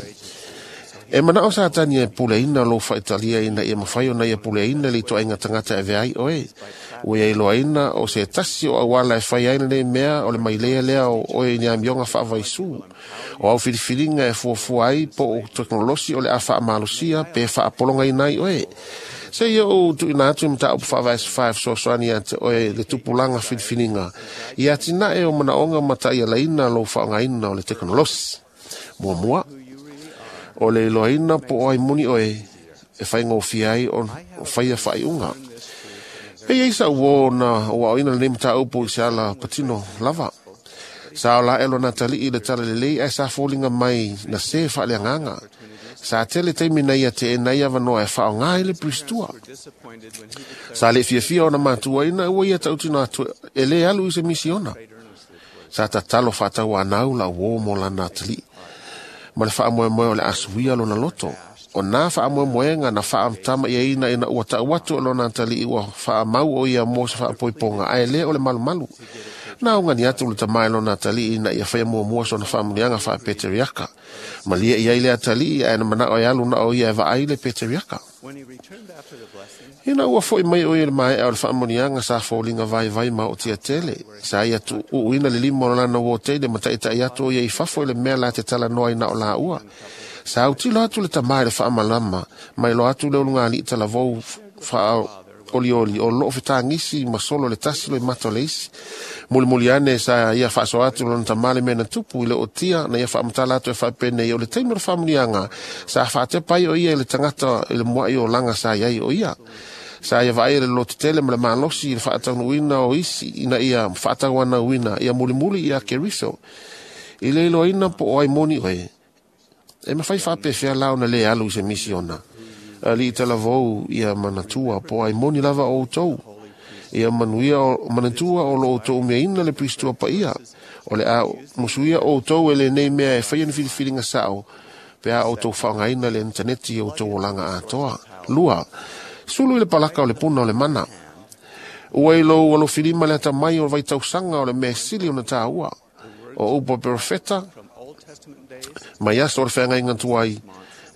E manao Satani e puleina lou faitalia ina ia mafai ona ia puleina le ituaiga tagata e ave ai oe. Ua ia iloaina o se tasi o auala e fai ai lenei mea o le mailea lea o oe i ni amioga faavaisū. O au filifiliga e fuafua ai po o teknolosi o le a faamalosia pe faapologaina ai oe. Se ia ou tuuina atu i mataupu faavae 5 fesoasoani ia te oe le tupulaga filifiliga ia atinae o manaoga ma taʻialaina lou faaaogaina o le teknolosi. Muamua, o le iloaina po o ai moni oe e faigofie ai o faia faaiuga. E iai sa uō na ua aoina lenei mataupu i se ala patino lava. Sa o la e lona tali'i le tala lelei ae sa foliga mai na se faaleagaga. Sa tele taimi na ia te e nai avanoa e faaaogā ai le Pristua. Sa le fiafia ona matuaina ua ia tautino atu e lē alu i se misiona. Sa tatalo faatauanau la uō mo lana atali'i. Ma le faamoemoe o le asuia lona loto. O nā faamoemoega na faamatama iaina ina ua taʻu atu e lona ataliʻi ua faamau o ia mo se faapoipoga ae lē o le malumalu. Na augani atu le tamā e lona ataliʻi ina ia faia muamua sona faamuniaga faapeteriaka. Malia i ai le atalii ae na manao e alu na o ia e vaai le peteriaka. Ina ua foi mai o ia le maea o le faamanuiaga sa foliga vaivai ma ootia tele. Sa ia tuuina le lima o lana uo tele ma taitai atu o ia i fafo i le mea la te talanoa ai na o laua. Sa autilo atu le tamā i le faamalama, ma iloa atu le ulugalii talavou faaolioli o loo fetagisi ma solo le tasi loi mata o le isi. Mulimuli ane sa ia faasoa atu lona tamā le mea na tupu i le ootia na ia faamatala atu e faapenei o le taimi o le faamanuiaga sa faatepa ai o ia i le tagata i le muai o laga sa iai o ia. Sa ia vaai le lotetele ma le malosi i le faataunuuina o isi ina ia faatauanauina ia mulimuli ia Keriso. I le iloaina po o ai moni oe, e mafai faapefea la ona lē alu i se misiona. Alii talavou ia manatua po o ai moni lava o outou. Ia manuia manatua o lo outou umiaina le Piristua paia. O le a musuia outou e lenei mea e faia ni filifiliga sao pe a outou faaaogaina le initaneti i outou olaga atoa. 2. Sulu i le palaka o le puna o le mana. Ua i lou alofilima le atamai o le vaitausaga o le mea sili ona tāua. O upu a perofeta mai aso o le feagaiga tuai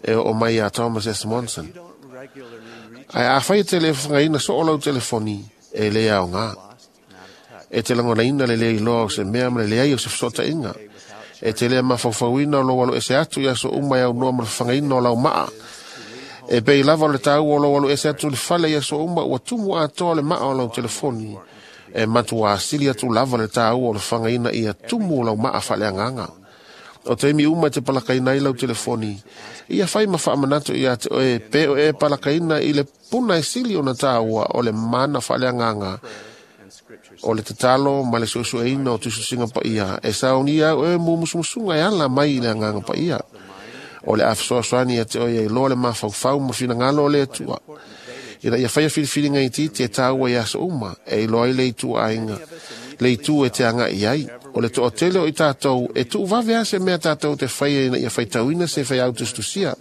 e oo mai ia Thomas S. Monson. Ae afai e te le fagaina so o lau telefoni e le aoga. E te lagonaina le le iloa o se mea ma le leai o se fesootaiga. E te le mafaufauina o lou aloese atu i aso uma e aunoa ma le fafagaina o lau maa. E pei lava o le taua o lou aloese atu i le fale i aso uma ua tumu atoa le maa o lau telefoni. E matua asili atu lava le taua o le fagaina ia tumu o lau maa faaleagaga. O taimi uma e te palakaina ai lau telefoni, ia fai ma faamanatu ia te oe pe o e palakaina i le puna e sili ona tāua o le mana faaleagaga o le tatalo ma le suesueina o tusitusiga paia e saunia au e mumusumusuga e ala mai i le agaga paia. O le a fesoasoani ia te oe ia iloa le mafaufau ma finagalo o le Atua. Ina ia faia filifiliga itiiti e tāua i aso uma, e iloa ai le itu aiga, le itu e te agai ai. O le toatele o i tātou, e tuuvave a se mea tātou te faia ina ia faitauina se faiau tusitusia.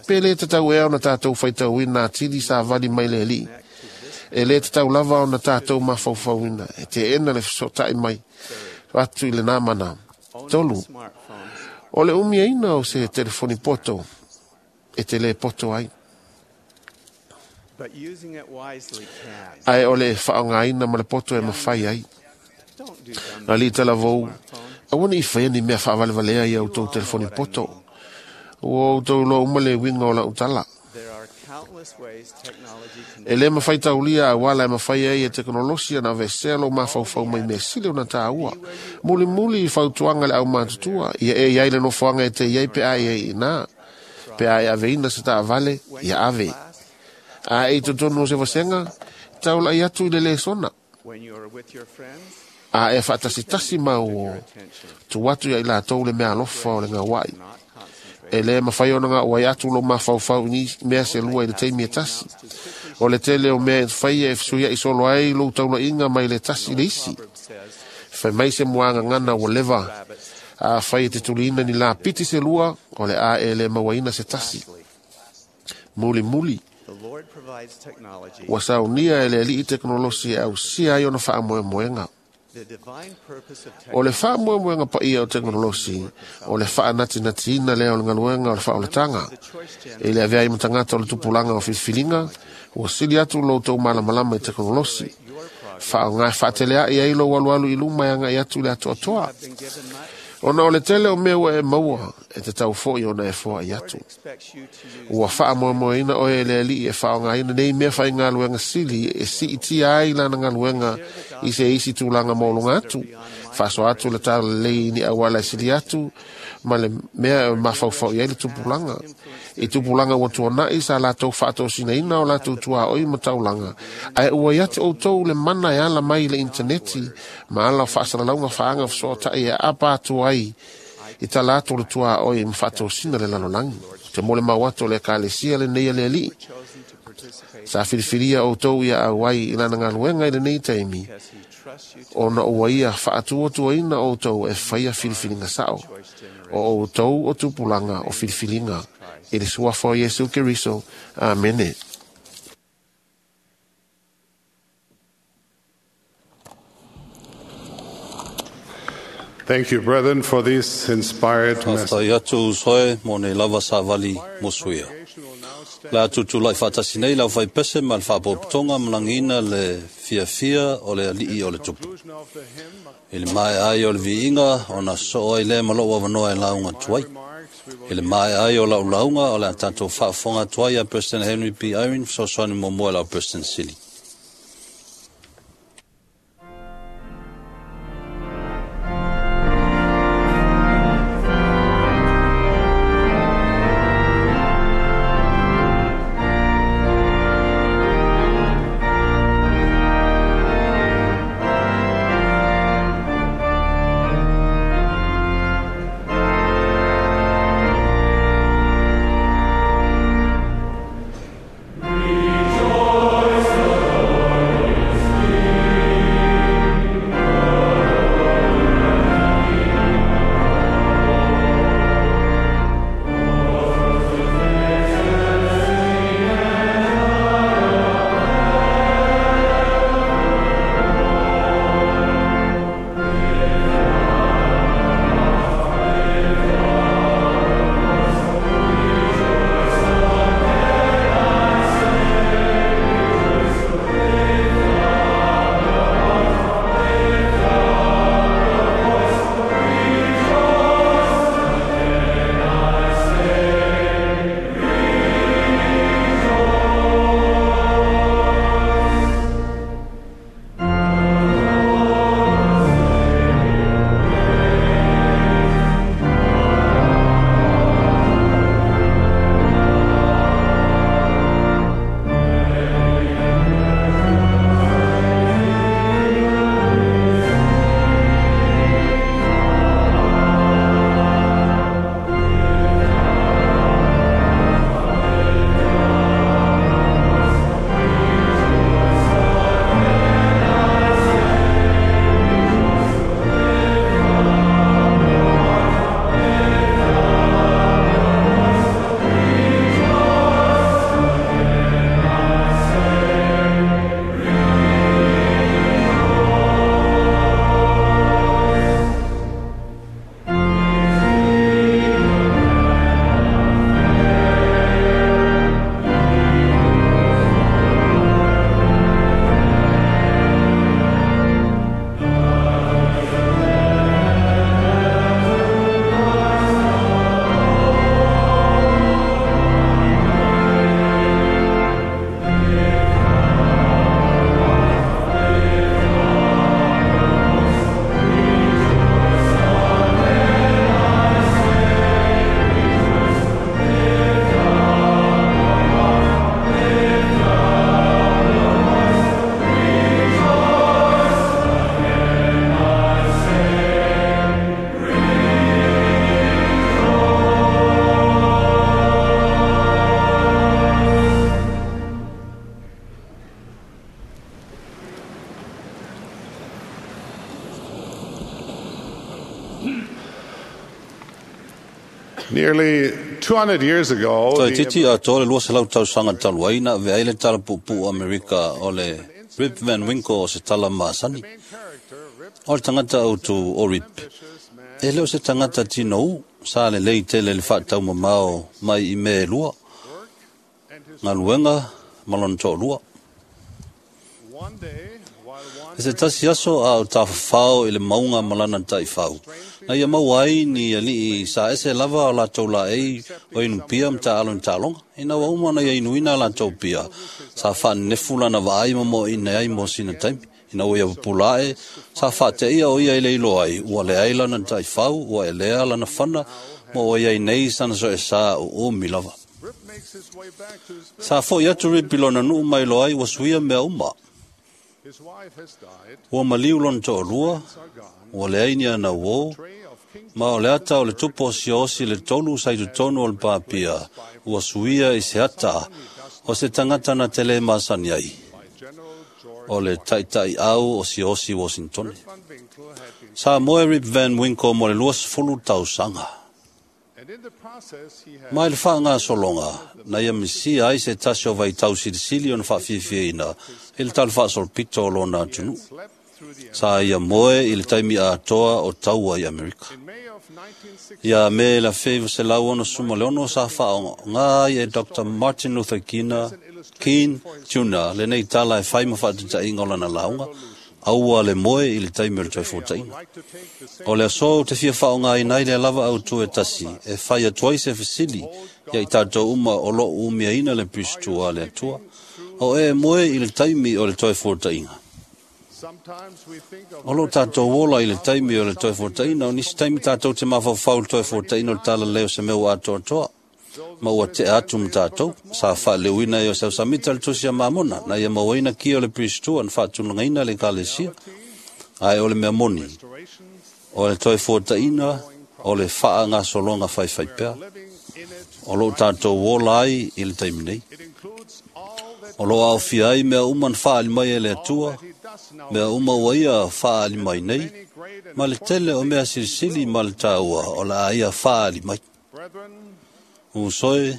Pe le tatau ea ona tātou faitauina atili sa vali mai le alii. E le tatau lava ona tātou mafaufauina, e teena le fesotai mai atu i le namana. 3. O le umiaina o se telefoni poto, e te le poto ai. Ae o le faaaogaina ma le poto e mafai ai. Alii talavou, aua ne i faia ni mea faavalevalea ia outou telefoni poto. Ua outou iloa uma le uiga o lau tala. E le mafai taulia auala e mafai ai e tekonolosi ona aveesea lou mafaufau mai mea sili ona tāua. Mulimuli i fautuaga le aumatutua, ia e iai le nofoaga e te iai pe a e iina. Pe a e aveina se taavale, ia ave. A e i totonu o se vasega, taulai atu i le lesona. A e faatasitasi mau o tu atu ia i latou le mea alofa o le gauai. E le mafai ona gauai atu lou mafaufau i ni mea se lua i le taimi e tasi. O le tele o mea e faia e fesuiai solo ai lou taulaiga mai le tasi i le isi. Fai mai se muagagana ua leva. A fai e te tuliina ni lapiti se lua, o le a e le mauaina se tasi. Mulimuli. Ua saunia e le alii tekonolosi e ausia ai ona faamoemoega. O le faamoemoega paia o tekonolosi, o le faanatinatiina lea o le galuega o le faaolataga. E le avea ai ma tagata o le tupulaga o filifiliga, ua sili atu lo outou malamalama i tekonolosi. Faaaoga e faateleai ai lou alualu i luma e agai atu i le atoatoa. Ona o le tele o mea ua e maua, e te tau foi ona e foai atu. Ua faamoemoeina oe e le alii e faaaogaina nei mea faigaluega sili e siitia ai lana galuega i se isi tulaga maualuga atu. Faasoa atu le talalelei i ni auala e sili atu ma le mea e mafaufau i ai le tupulaga. I tupulaga ua tuanai sa latou faatosinaina o latou tuaoi ma taulaga. Ae ua ia te outou le mana e ala mai i le initaneti ma ala o faasalalauga faaga fesoatai e aapa atu ai i tala atu o le tuaoi ma faatosina le lalolagi. Te mo le mau atu o le ekalesia lenei a le alii. Sa filifilia outou ia auai i lana galuega i lenei taimi, ona ua ia faatuatuaina outou e faia filifiliga sao. O outou o tupulaga o filifiliga. I le suafa o Iesu Keriso. Amene. Thank you, brethren, for this inspired message. Faafetai atu uso e mo nei lava savali mosuia. Le a tutulai faatasi nei lau faipese ma le faapopotoga ma lagiina le fiafia o le alii o le tupu. I le maea ai o le viiga ona soo ai lea ma lou avanoa e lauga atu ai. I le maea ai o lau lauga o le a tatou faafofoga atu ai a President Henry B. Eyring fesoasoani muamua i lau President Sili. Nearly 200 years ago, Toe titi a tō le 200 tausaga talu ai na avea ai le tala puupuu Amerika o le Rip Van Winkle o se tala masani. O le tagata autu o Rip. E le o se tagata tino u, sa lelei tele le faataumamao mai i mea e lua. Galuega ma lona toalua. E se tasi aso a o tafafao i le mauga ma lana taifau. Na ia maua ai ni alii sa ese lava o latou laei o inupia ma taalo i taaloga. Ina ua uma ona ia inuina a latou pia, sa faanenefu lana vaai ma moaina ai mo sina taimi. Ina ua ia pupula ae, sa faateia o ia i le iloa ai, ua leai lana taifau, ua elea lana fana, ma ua iai nei sana soesa uumi lava. Sa fo'i atu Rip i lona nuu mai loa ai ua suia mea uma. Ua maliu lona toalua, ua leai ni ana uō, ma o le ata o le tupu o siaosi le tolu sa i totonu o le papia, ua suia i se ata o se tagata na te le masani ai, o le taitaiau o siaosi Washingtone. Sa moe Rip Van Winkle mo le 20 tausaga. Mai le faagasologa na ia misia ai se tasi o vaitau silisili ona faafiafiaina i le tala faasolopito o lona atunuu. Sa ia moe i le taimi atoa o taua i Amerika. Ia me la feiva se lau ono suma le ono sa whaonga ai e Dr. Martin Luther King Jr. Le nei tala e whai ma whaatita inga o lana launga, aua le moe i le taimi o le toi fōtaina. O le aso te fia whaonga i nei le lava au tue tasi, e whai atuai se fesili, ia i tātou uma o lo umia ina le pistua le atua, o e moe i le taimi o le toi fōtaina. O lo tātou ola i le taimi o le toi fōtaina, o nisi taimi tātou te mawhawhau le toi fōtaina o le tala leo se mea atoa toa. Ma ua te atu ma tātou, sa whaaleuina e o sau samita le tusi a mamona, na ia mauaina ki o le pistua na whaatungaina le kalesia, ai o le mea moni, o le toi fōtaina, o le whaa ngā solonga whaiwhai pea, o lo tātou ola ai i le taimi nei. O lo au fia ai mea uma na whaali mai e le atua, mea uma ua ia whaali mai nei, ma le tele o mea silisili ma le tāua o la aia whaali mai. Usoe,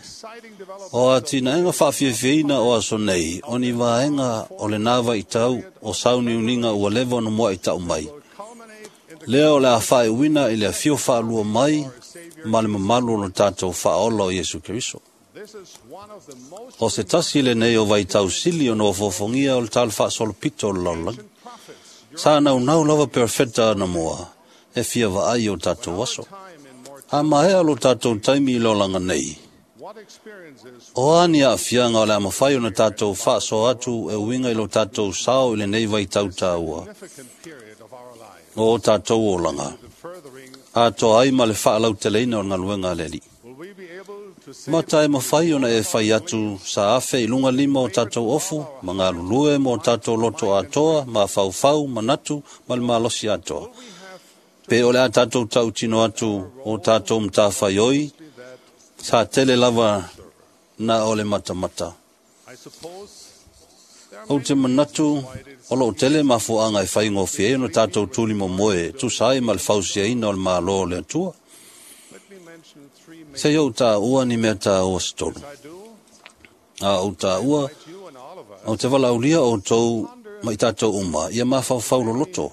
o a tina enga whaafiafieina o aso nei, o ni vaenga o le nāwa i tau, o sauni uninga ua lewa no mua i tau mai. Lea o le a whae uina i le awhio whaalua mai, ma le mamalu o le tātou whaola o Iesu Keriso. O se tasi le nei o vai tau sili o no fofongia o le tala whaasolopito o le laulaga. Sa nau nau lava perfecta ana moa, e fia vaai o tātou aso. A mahea lo tātou taimi i lolanga nei. O ani a fianga o le amawhai o na tātou whaaso atu e uinga i lo tātou sao i le nei vai tau tāua. O tātou olanga. A toa ai ma le whaalau teleina o ngaluenga leli. Mata e mawhai ona e whai atu sa afe i lunga lima o tātou ofu, ma ngā lulue mo tātou loto atoa, ma whauwhau, ma natu, ma le malosi atoa. Pe ole a tātou tau tino atu o tātou mtāwhai oi, sa tele lava na ole matamata. O te manatu, o lo tele mafuanga e whai ngōwhi e no tātou tūli mo moe, tūsai ma le fausia ina o le mālo o le atua. Se iau tā ua ni mea tā ua se tolu. A o tā ua, o te wala ulia o tau mai tātou uma, ia mawhauwhau loloto.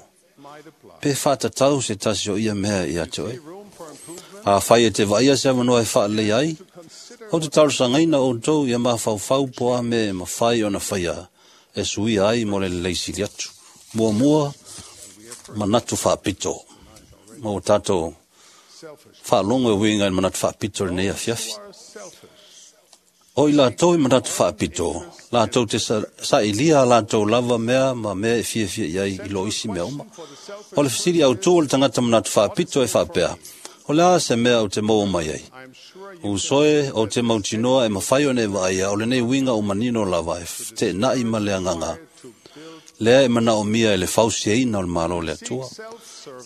Pe whātatau se tasi o ia mea i atu e. A whai e te vaia se awanoa e whaalei ai, o te tarusangaina o tau ia mawhauwhau poa me mawhai o na whaia e suia ai mo le leisili atu. Mua mua, manatu whaapito. Mo tātou whaalongo e winga i manatu whaapito le nei afiafi. O i lātou i manatu whaapito, lātou te sa ilia lātou lava mea ma mea e fiafia iai i lo isi mea uma. O le fisiri au tō le tangata manatu whaapito e whaapea. O le a se mea o te maua mai ai. O soe o te mautinoa e mawhai o ne vaia o le nei winga o manino lava e te nai ma le anganga. Lea e mana o mia e le fausia ina o le malo le atua.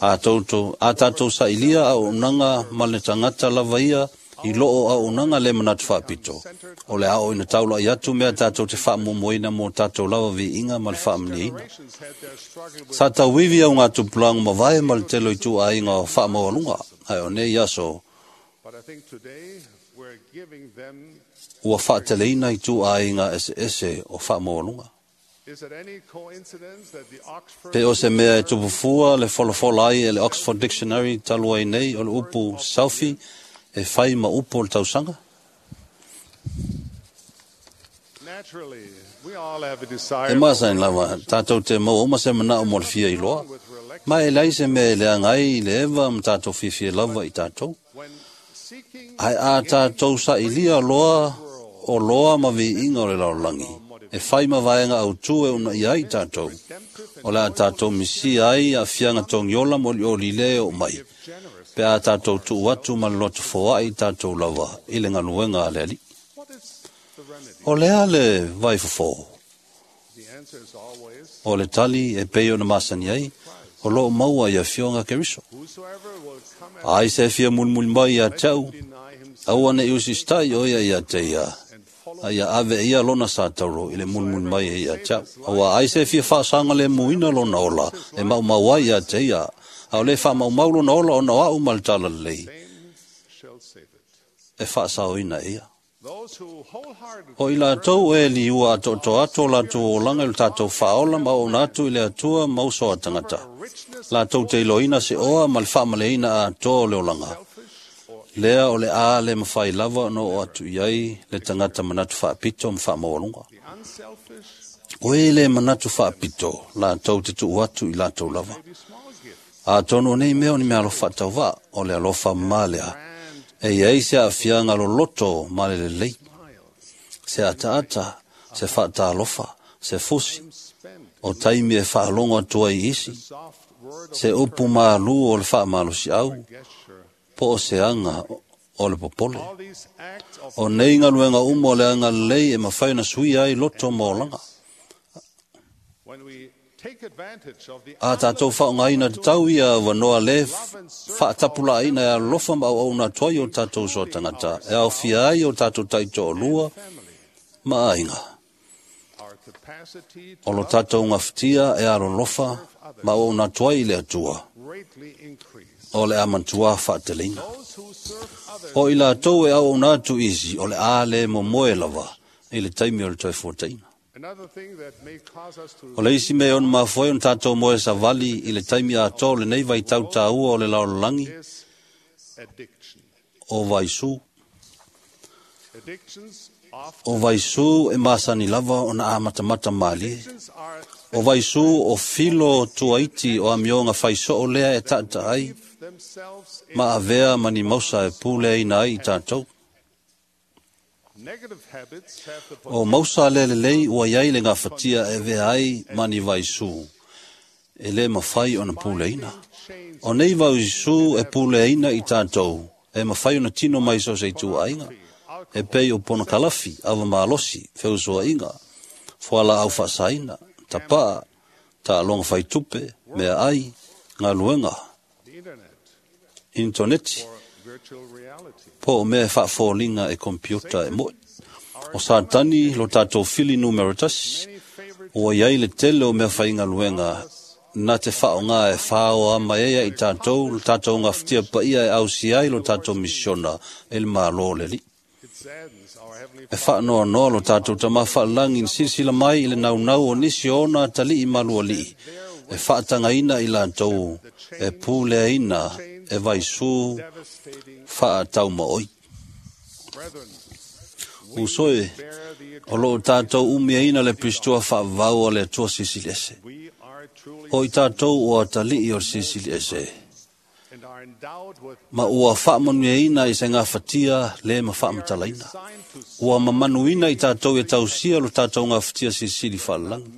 A tātou sa ilia au unanga ma le tangata lava ia i loo au unanga le manatu whaapito. O le ao ina taula i atu mea tātou te whaamomoina mō tātou lava vi inga ma le whaamani ina. Sa tauivi au ngā tupulangu mavae ma le telo i tū ainga o whaamawalunga. Ai o nei aso, ua whaateleina i tū ainga ese ese o whaamawalunga. Pe o se mea e tupufua le folafola ai e le Oxford Dictionary talua i nei o le upu selfie e whai ma upu o le tausanga. E masain lava, tātou te mau oma se mana o mo le fia i loa. Ma e lai se mea e le angai i le ewa ma tātou fiafia lava i tātou. Ai a tātou sa ilia loa o loa ma vi inga o le laolangi. E whai ma vaenga au tū e una i ai tātou. O le a tātou misi ai a fianga tongiola mo li o lile o mai. Pe a tātou tū atu ma le loto foai tātou lava i le ngaluenga a le ali. O le a le vai fofo. O le tali e pei o na masani ai, o loo maua i a fionga keriso. Ai se fia mulmuli mai ia tau, aua ne usistai o ia ia te ia. Ai ave ia lona sa tauro i le mulmuli mai ia tau. Aua ai se fia whaasanga le muina lona ola, e mau mau ai ia te ia. Au le wha mau mau lona ola o na au mal tala lei. E whaasao ina ia. O i latou e liua atoatoa atu o latou olaga i lo tatou faaola ma auauna atu i le Atua ma uso a tagata. Latou te iloaina se oa ma le faamaleina atoa o le olaga. Lea o le a le mafai lava ona oo atu i ai le tagata manatu faapito ma faamaualuga. O e le manatu faapito, latou te tuu atu i latou lava. Atonu o nei mea o ni mea alofa faatauvaa, o le alofa ma lea. E i ai se aafiaga loloto ma le lelei, se ataata, se faatalofa, se fusi, o taimi e faalogo atu ai i isi, se upu malu o le faamalosiau, po o se aga o le popole. O nei galuega uma o le agalelei e mafai ona suia ai loto ma olaga. A tatou faaaogaina tatau ia avanoa le faatapulaaina e alolofa ma auauna atu ai o tatou uso a tagata, e aofia ai o tatou taitoalua ma aiga. O lo tatou gafatia e alolofa ma auauna atu ai i le Atua, o le a matua faateleina. O i latou e auauna atu isi, o le a le momoe lava i le taimi o le toe fuataina. O le isi mea e ono mafua ai ona tatou moe savali i le taimi atoa o lenei vaitau taua o le lalolagi, o vaisu. O vaisu e masani lava ona amatamata malie. O vaisu o filo tuaiti o amioga faisoo lea e taataai ma avea ma ni mausa e puleaina ai i tatou. O mausa le lelei ua iai le gafatia e avea ai ma ni vaisu, e le mafai ona puleaina. O nei vaisu e puleaina i tatou, e mafai ona tino mai so o se ituaiga, e pei o ponokalafi, avamalosi, feusuaiga, fualaau faasaina, tapaa, taaloga faitupe, meaai, galuega, intoneti, po o mea e faafoliga e kompiuta e mo'i. O Satani lo tatou fili numera 1, ua iai le tele o mea faigaluega na te faaaoga e fāoa mai ai i tatou lo tatou gafatia paia e ausia ai lo tatou misiona e le Malo o le Alii. E faanoanoa lo tatou Tama faalagi i silasila mai i le naunau o nisi o ona atalii malualii e faatagaina i latou e puleaina e vaisu faataumaoi. Uso e, o loo tatou umiaina le Pirisitoa faavavau a le Atua Silisili Ese. O i tatou o atalii o le Silisili Ese, ma ua faamanuiaina i se gafatia le ma faamatalaina. Ua mamanuina i tatou e tausia lo tatou gafatia silisili faalelagi.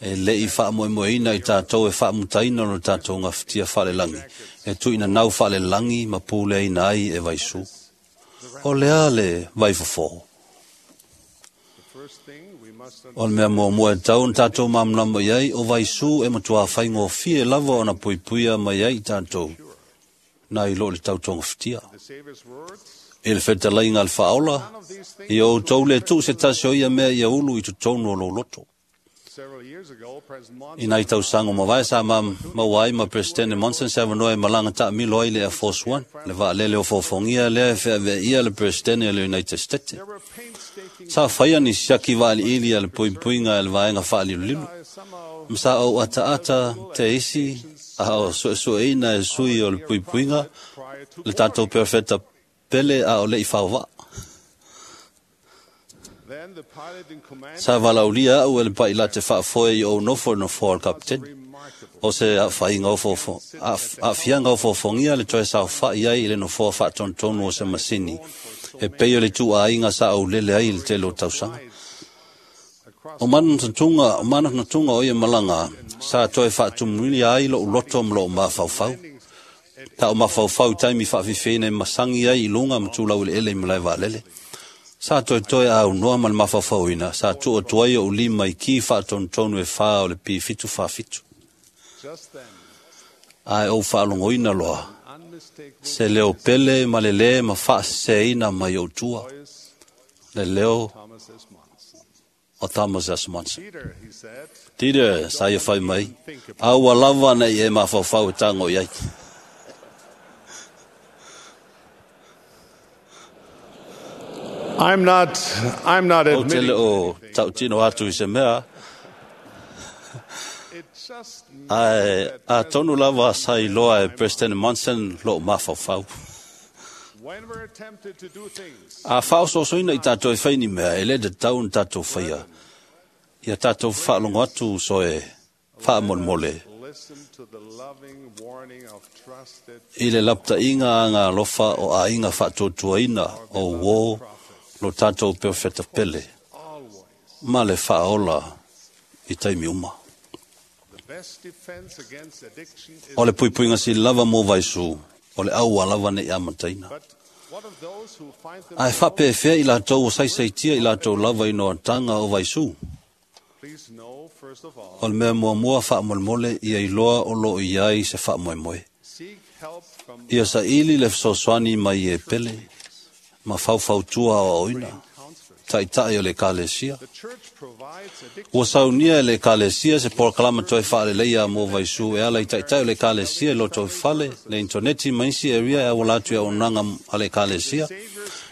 E lei faamoemoeina i tatou e faamutaina lo tatou gafatia faalelagi, e tuuina nau faalelagi ma puleaina ai e vaisu. O lea le vaifofo. O le mea muamua e tau ona tatou malamalama i ai, o vaisu e matua faigofie lava ona puipuia mai ai i tatou, nai lo le tautogafatia. I le fetalaiga a le faaola, ia outou le tuu se tasi o ia mea ia ulu i totonu o lou loto. I nai tausaga mavae sa maua ai ma Presidente Monson se avanoa e malaga taamilo ai le Air Force One, le vaalele o fofogia lea e feaveaia le Presidente o le United States. Sa faia ni siaki vaaliili a le puipuiga e le vaega faalilolilo. Ma sa ou ataata te isi a o suesueina e sui o le puipuiga le tatou perfeta pele a o le i faovaa. Sa valaulia au e le pailate faafoe i ou nofo i nofoa o le kapiteni. O se aafiaga o fofogia le toe saofa'i ai i le nofoa faatonutonu o se masini, e pei o le ituaiga sa aulele ai i le tele o tausaga. O manatunatuga o ia malaga, sa toe faatumulia ai lou loto ma lou mafaufau. Ta o mafaufau i taimi faafifeina e masagi ai i luga ma tulau eleele i malae vaalele. Sa toetoe aunoa ma le mafaufauina, sa tuu atu ai ou lima i ki faatonutonu e 4 o le P747. Ae ou faalogoina loa, se leo pele ma le lē ma faaseseina mai ou tua, le leo o Thomas S. Monson. Peter, sa ia fai mai, a ua lava nei e mafaufau e tago i ai. I'm not Ou te le admitting. o tautino atu i se mea, ae a tonu lava sa iloa e President Monson loo mafaufau. When we're tempted to do things, A whaososoina i tātou e whai ni mea, e le te tau ni tātou whaia. Ia tātou whaalogo atu so e whaamolemole. listen to the loving warning of trusted I le laptainga a ngā lofa o āinga whaatuatuaina o wō lo tātou profeta pele. always. Ma le whaola i taimi uma. The best defense against addiction is. O le puipuinga si lava mō vaisu, o le aua lava nei amataina. But what of those who find Ai themselves? whapewhea i lātou o saisaitia i lātou lava i noa tanga o vaisu. Please know, first of all, O le mea mua mua whaamolemole ia iloa o loo i ai se whaamoemoe. seek help from Ia sa ili le fesoasoani mai e pele, ma faufautua o oina, counselors. taitai o le kalesia. The church provides addiction Ua saunia e le kalesia se polokalama toe whaaleleia mō vaisu e ala i taitai o le kalesia i loto i fale, le interneti ma isi area e awala atu e auaunaga a le kalesia.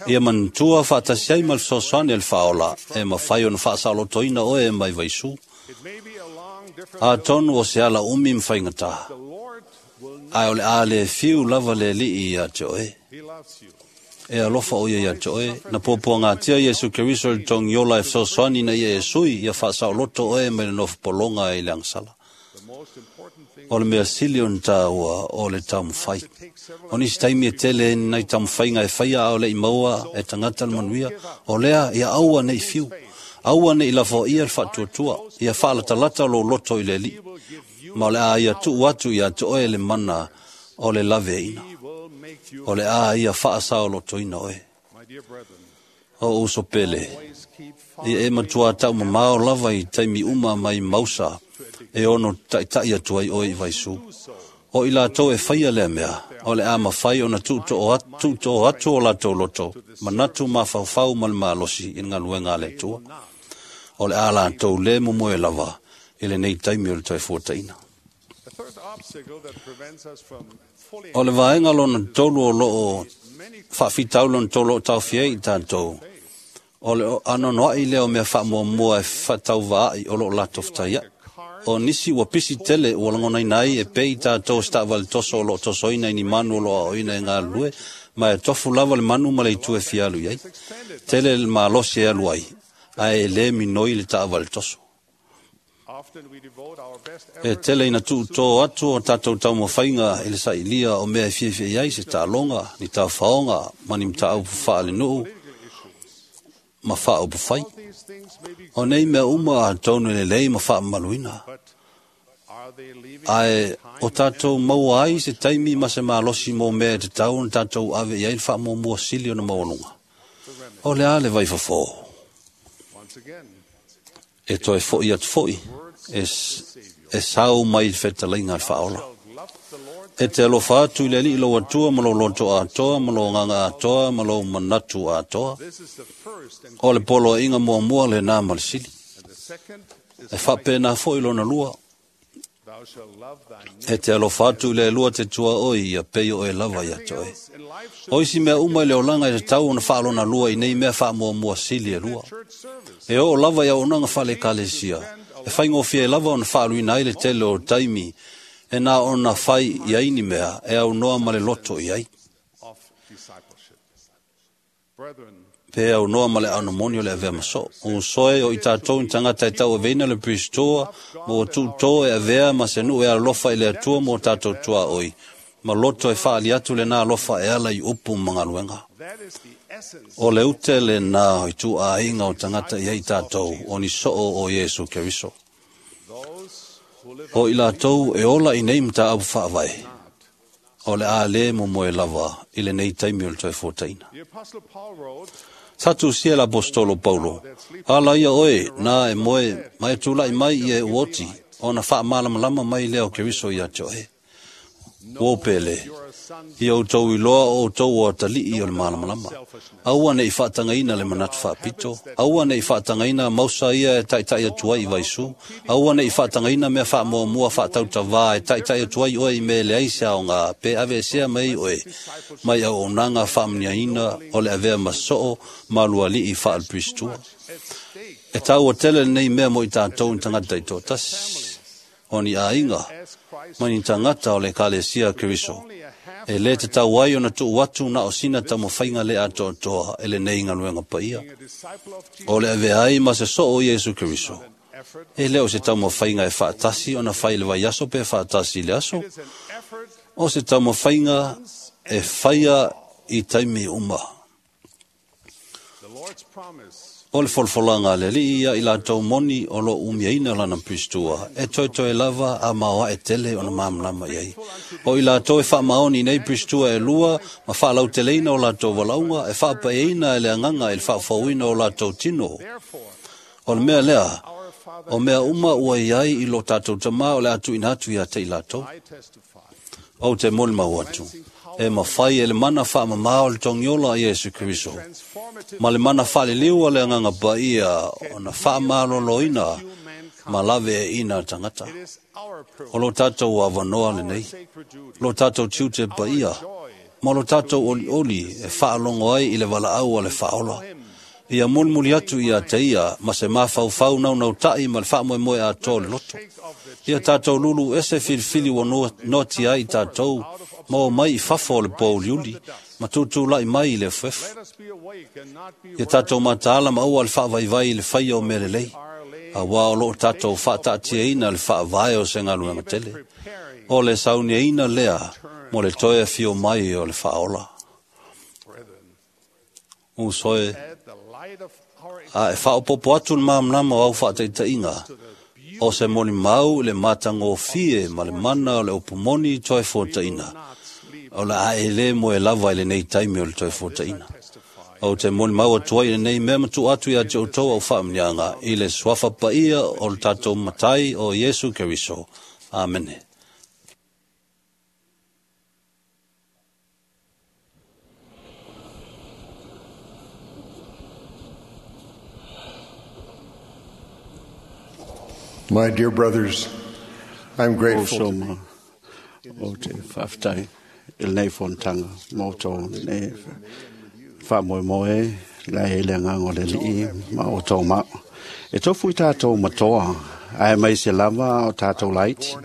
Ia manatua faatasi ai ma le fesoasoani e le whaola e mawhai ona whaasaolotoina oe e mai vaisu. It may be a long, different. A tonu o se ala umi mwhaingata. The Lord will not. Ai o le a le fiu lava le lii ia te oe. He loves you. E alofa o ia ia te oe. Na pōpō ngā tia Yesu Keriso le tong iola e fesoasoani na ia e sui ia whaasaoloto oe mai le nofo polonga i le angsala. The most important thing O le mea sili o ni tāua o le taumawhai. to take several O nisi taimi e tele nei taumawhainga e whaia au le i maua e tangata le manuia. O lea ia aua nei fiu. Aua nei lafo ia le whaatuatua. Ia whaalatalata lo loto i le li. will give you. Ma o le a ia tuu atu ia te oe le mana o le lave ina. He will make you. O le a ia whaasao loto ina oe. My dear brethren, O uso pele. always keep Ia e matua tau mamao lava i taimi uma mai mausa e ono taitai atu ai oe i vaisu. O i lātou e whaia lea mea, o le a mawhai o na tūto atu o lātou loto, manatu mawhauwhau ma le malosi i ngā luenga le tua. O le a lātou le momoe lava i le nei taimi o le toe fuataina. The third obstacle that prevents us from fully O le vaenga lona tolu o loo many whaafitau lona tolu o tauwhia i tātou. O le anonoai leo mea whaamuamua e whatauvaai o loo lātou whataia. O nisi ua pisi tele ua langona ina ai e pei tātou sta vale toso o loo tosoina i ni manu o loo aoina e ngā lue, ma e tofu lava le manu ma le itu e fialu iai. Tele le malosi e alu ai, ae e le minoi le taavale toso. often we devote our best E efforts tele ina tuutō atu o tātou taumawhainga i le sailia o mea e fiafia ai se tālonga, ni tāwhaonga, ma ni mtaaupu whaale nuu, ma whaaupu whai. these things may be O nei mea uma a tonu le lei ma whaamaluina. but are they leaving Ae o tātou maua ai se taimi ma se malosi mō mea e te tau na tātou ave i ai le whaamua sili o na maualunga. O le a le vai fofo. once again E toe foi atu foi, e sau mai le whetalainga le whaola. love the Lord E te alofa atu i le alii lau atua ma lou loto atoa, ma lou nganga atoa, ma lou manatu atoa. this is the first and O le polo inga mua mua le nā ma le sili. the second is E whapena foi lona lua. thou shalt love thy E te alofa atu i le lua te tua oi ia peio e lava ia te oe. neighbor in life should O isi mea uma i le olanga i te tau ona whaalona lua i nei mea whaamua sili e lua. church service E o lava ia onanga whale kalesia. E whaingofia e lava ona whaaluina ai le tele o taimi. E nā ona whai i aini mea e au noa ma le loto i ai. of discipleship brethren Pe au noa ma le anomoni o le avea maso. O soe o i tātou ni tangata e tau aveina le pristoa, mo tūtō e avea ma se nuu e alofa i le atua mo tātou tua oi. Ma loto e whaali atu le nā alofa e ala i upu mangaluenga. that is the essence O le ute le nā i tū a inga o tangata i ai tātou, o ni soo o Yesu Keriso. those who live O i lātou e ola i nei mta apu whaavai. O le a le mo moe lava i le nei taimi o le toe fōtaina. the apostle Paul wrote Sa tusia la apostolo Paulo. Ala ia oe, nā e moe, mai tūlai mai i e uoti, o na whaamalamalama mai leo Keriso ia te oe. Wō pele, you are a Ia outou iloa o outou o atalii o le malamalama. Aua ne i faatagaina le manatu faapito. Aua ne i faatagaina mausa ia e taitai atu ai i vaisu. Aua ne i faatagaina mea faamuamua faatautavā e taitai atu ai oe i mea e leai se aoga pe aveesea mai oe mai auaunaga faamaniaina o le avea ma soo ma lualii faaleperistua. E taua tele lenei mea mo i tatou ni tagata i toatasi, o ni aiga, ma ni tagata o le Ekalesia Keriso. E lē tatau ai ona tuu atu na o sina taumafaiga le atoatoa e lenei galuega paia. O le avea ai ma se soo o Iesu Keriso. E lē o se taumafaiga e faatasi ona fai i le vaiaso pe faatasi i le aso. O se taumafaiga e faia i taimi uma. O le folafolaga a le Alii ia i latou moni o loo umiaina lana peristua, e toetoe lava a maoae tele ona malamalama i ai. O i latou e faamaoni nei peristua e lua ma faalauteleina o latou valaauga, e faapaeina e le agaga i le faafouina o latou tino. O le mea lea, o mea uma ua i ai i lo tatou tamā o le a tuuina atu ia te i latou. Ou te molimau atu, e mafai e le mana faamamā o le togiola a Iesu Keriso, ma le mana faaliliu o le agaga paia ona faamaloloina ma laveaiina tagata. O lo tatou avanoa lenei, lo tatou tiute paia, ma lo tatou olioli e faalogo ai i le valaau a le Faaola. Ia mulimuli atu ia te ia ma se mafaufau naunautai ma le faamoemoe atoa o le loto. Ia tatou lulu ese filifili ua noatia ai i tatou, ma o mai i fafo o le poauliuli, ma tutulai mai i le efuefu. Ia tatou mataala ma aua le faavaivai i le faia o mea lelei, auā o loo tatou faataatiaina le faavae o se galuega tele. O le sauniaina lea mo le toe afio mai o le Faaola. Uso e, a e faaopopo atu le malamalama o au faataitaiga, o se molimau i le matagofie ma le mana o le upu moni toe fuataina, o le a e lē moe lava i lenei taimi o le toe fuataina. Ou te molimau atu ai i lenei mea ma tuu atu ia te outou au faamanuiaga i le suafa paia o le tatou Matai o Iesu Keriso. Amene. My dear brothers, I'm grateful. O soma o te whaaftai i lenei fonotaga ma outou nei faamoemoe la e le agaga o le Alii ma outou mao. E tofu i tatou matoa, ae mai se lava o tatou laiti.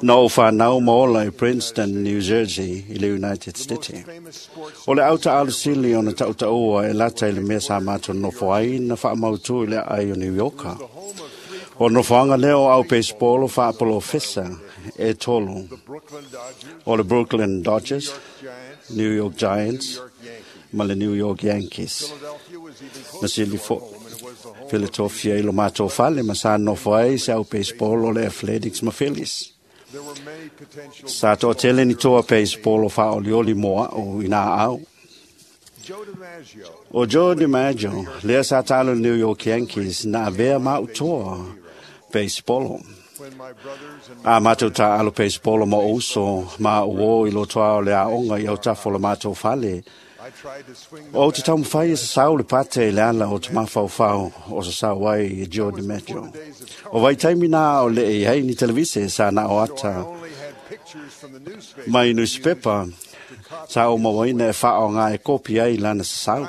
Na ou whanau ma ola i Princeton, New Jersey, i le United States. O le auta alusili o na tautaua e lata i le mea sa mātou nofo ai na whaamautu i le ai o New Yorka. O nofoaga lea o au baseball faapolofesa e tolu o le Brooklyn Dodgers, New York Giants ma le New York Yankees. Na sili fo Philadelphia i lo mātou fale ma sa nofo ai se au baseball o le Athletics ma Phillies. Sa toatele ni toa baseball o whaolioli moa o ina au. O Joe DiMaggio, lea sa talo New York Yankees, na avea mautoa baseball. A mātou tā alo baseball ma uso, ma uo i lotoa o le aonga i autafo la mātou fale. O te taumawhai e sa sau le pate i le ala o te mawhauwhau o sa sau ai i Joe DiMaggio. O vai taimi nā o le e hei ni televise sa na o ata mai newspaper sa o mawaina e whao ngā e kopi ai lana sa sau.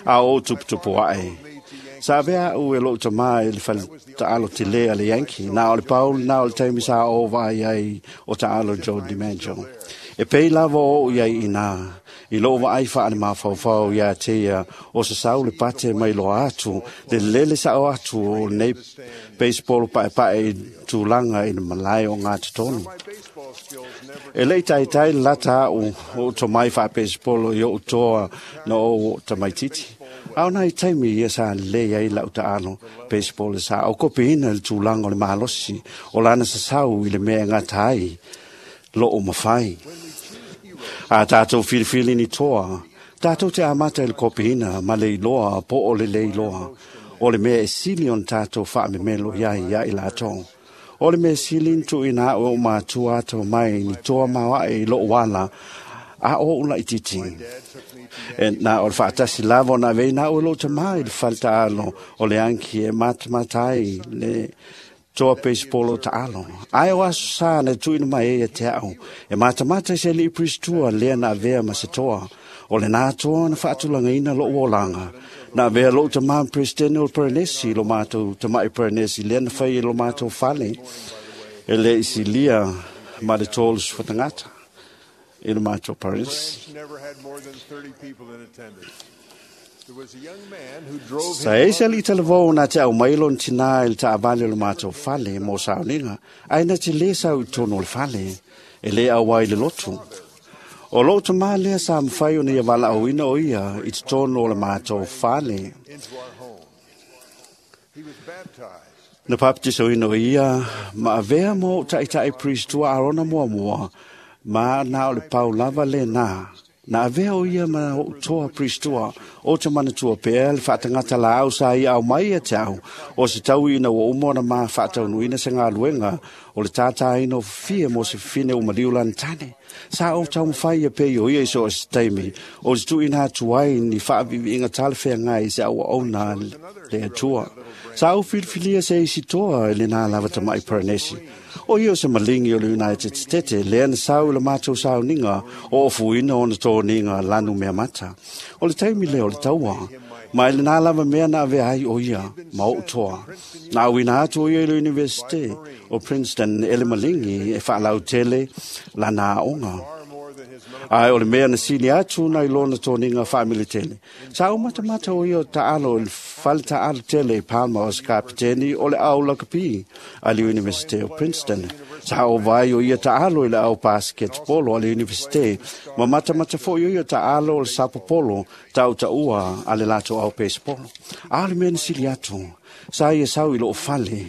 A o tuputupu ae. Sa vea u e lou tamā i le whale ta'alo te lea le Yankee. Nā o le Paul, nā o le taimi sa o vai ai o ta'alo Joe DiMaggio. E pei lava o iai ina, i lou vaai wha le mawhauwhau ia te ia, o sa sau le pate mai loa atu, le lele sa o atu o nei baseball pae pae i tūlanga i le malae o ngā totonu. E lei taitai lata au o to mai wha baseball i o toa na o tamaititi. Au nai taimi ia sa le ai lau ta'alo baseball sa o kopi ina le tūlanga o le malosi o lana sa sau i le mea ngata ai lo o mawhai. A tātou whiriwhiri ni toa, tātou te amata i le kopihina ma le iloa po o le le iloa, o le mea e sili on tātou whaamemelo iai ia i lātou. O le mea sili na tuuina a'u e o'u matua ato mai ni toa maoa'e i lo'u ala a o o'u la'itiiti. E na o le fa'atasi lava ona aveina a'u e lo'u tamā i le fale ta'alo o le anki e matamata ai le toa peisipolo o ta'alo. Ae o aso sā na tuuina mai ai ia te a'u e matamata i se ali'i puristua lea na avea ma se toa. O lenā toa na fa'atulagaina lo'u olaga. Na avea lo'u tamā ma peresetene o le Poronesi i lo matou tama'i Poronesi lea na fai e lo matou fale e lē i silia ma le 30 tagata i le matou Poronesi. Never had more than 30 people in attendance. There was a young man who drove Sa his e se ali talavou na te au mai lona tinā i le ta'avale o le matou fale mo sauniga, ae na te lē sau i totonu o le fale, e lē auai le lotu. O lo'u tamā lea sa mafai ona ia vala'auina o ia i totonu o le matou fale. into our home. He was baptized. Na papatisoina o ia ma avea mo o'u ta'ita'i pristua Arona muamua, ma na o le pau lava lenā. Na avea o ia ma o'u toa pristua o te manatua pea le fa'atagata lāau sa ia au mai ia te au o se tauiina ua uma ona ma fa'ataunuina se galuega o le tātāina o fafia mo se fafine umaliu lana tane. Sa ou taumafai ia pei o ia i so o se taimi o te tuuina atu ai ni fa'avi'ivi'iga talafeagai i se aua'auna le Atua. Sa ou filifilia se isi toa i lenā lava tama'i Poronesi. O ia o se maligi o le United States lea na sau i le matou sauniga o ofuina ona toniga lanu mea mata. O le taimi lea o le taua, ma i lenā lava mea na avea ai o ia ma o'u toa. Na auina atu o ia i le Universite o Princeton e le maligi e fa'alautele lana a'oga. Ae o le mea na sili atu nai lona toniga fa'amilitele. Sa ou matamata o ia o ta'alo i le fale ta'alo tele i Palma o se kapiteni o le au lakapi a le Universite o Princeton. Sa ou vai o ia ta'alo i le au paseketepolo a le Universite ma matamata fo'i o ia ta'alo o le sapopolo ta'uta'ua a le latou au pesepolo. A o le mea na sili atu, sa ia sau i lo'u fale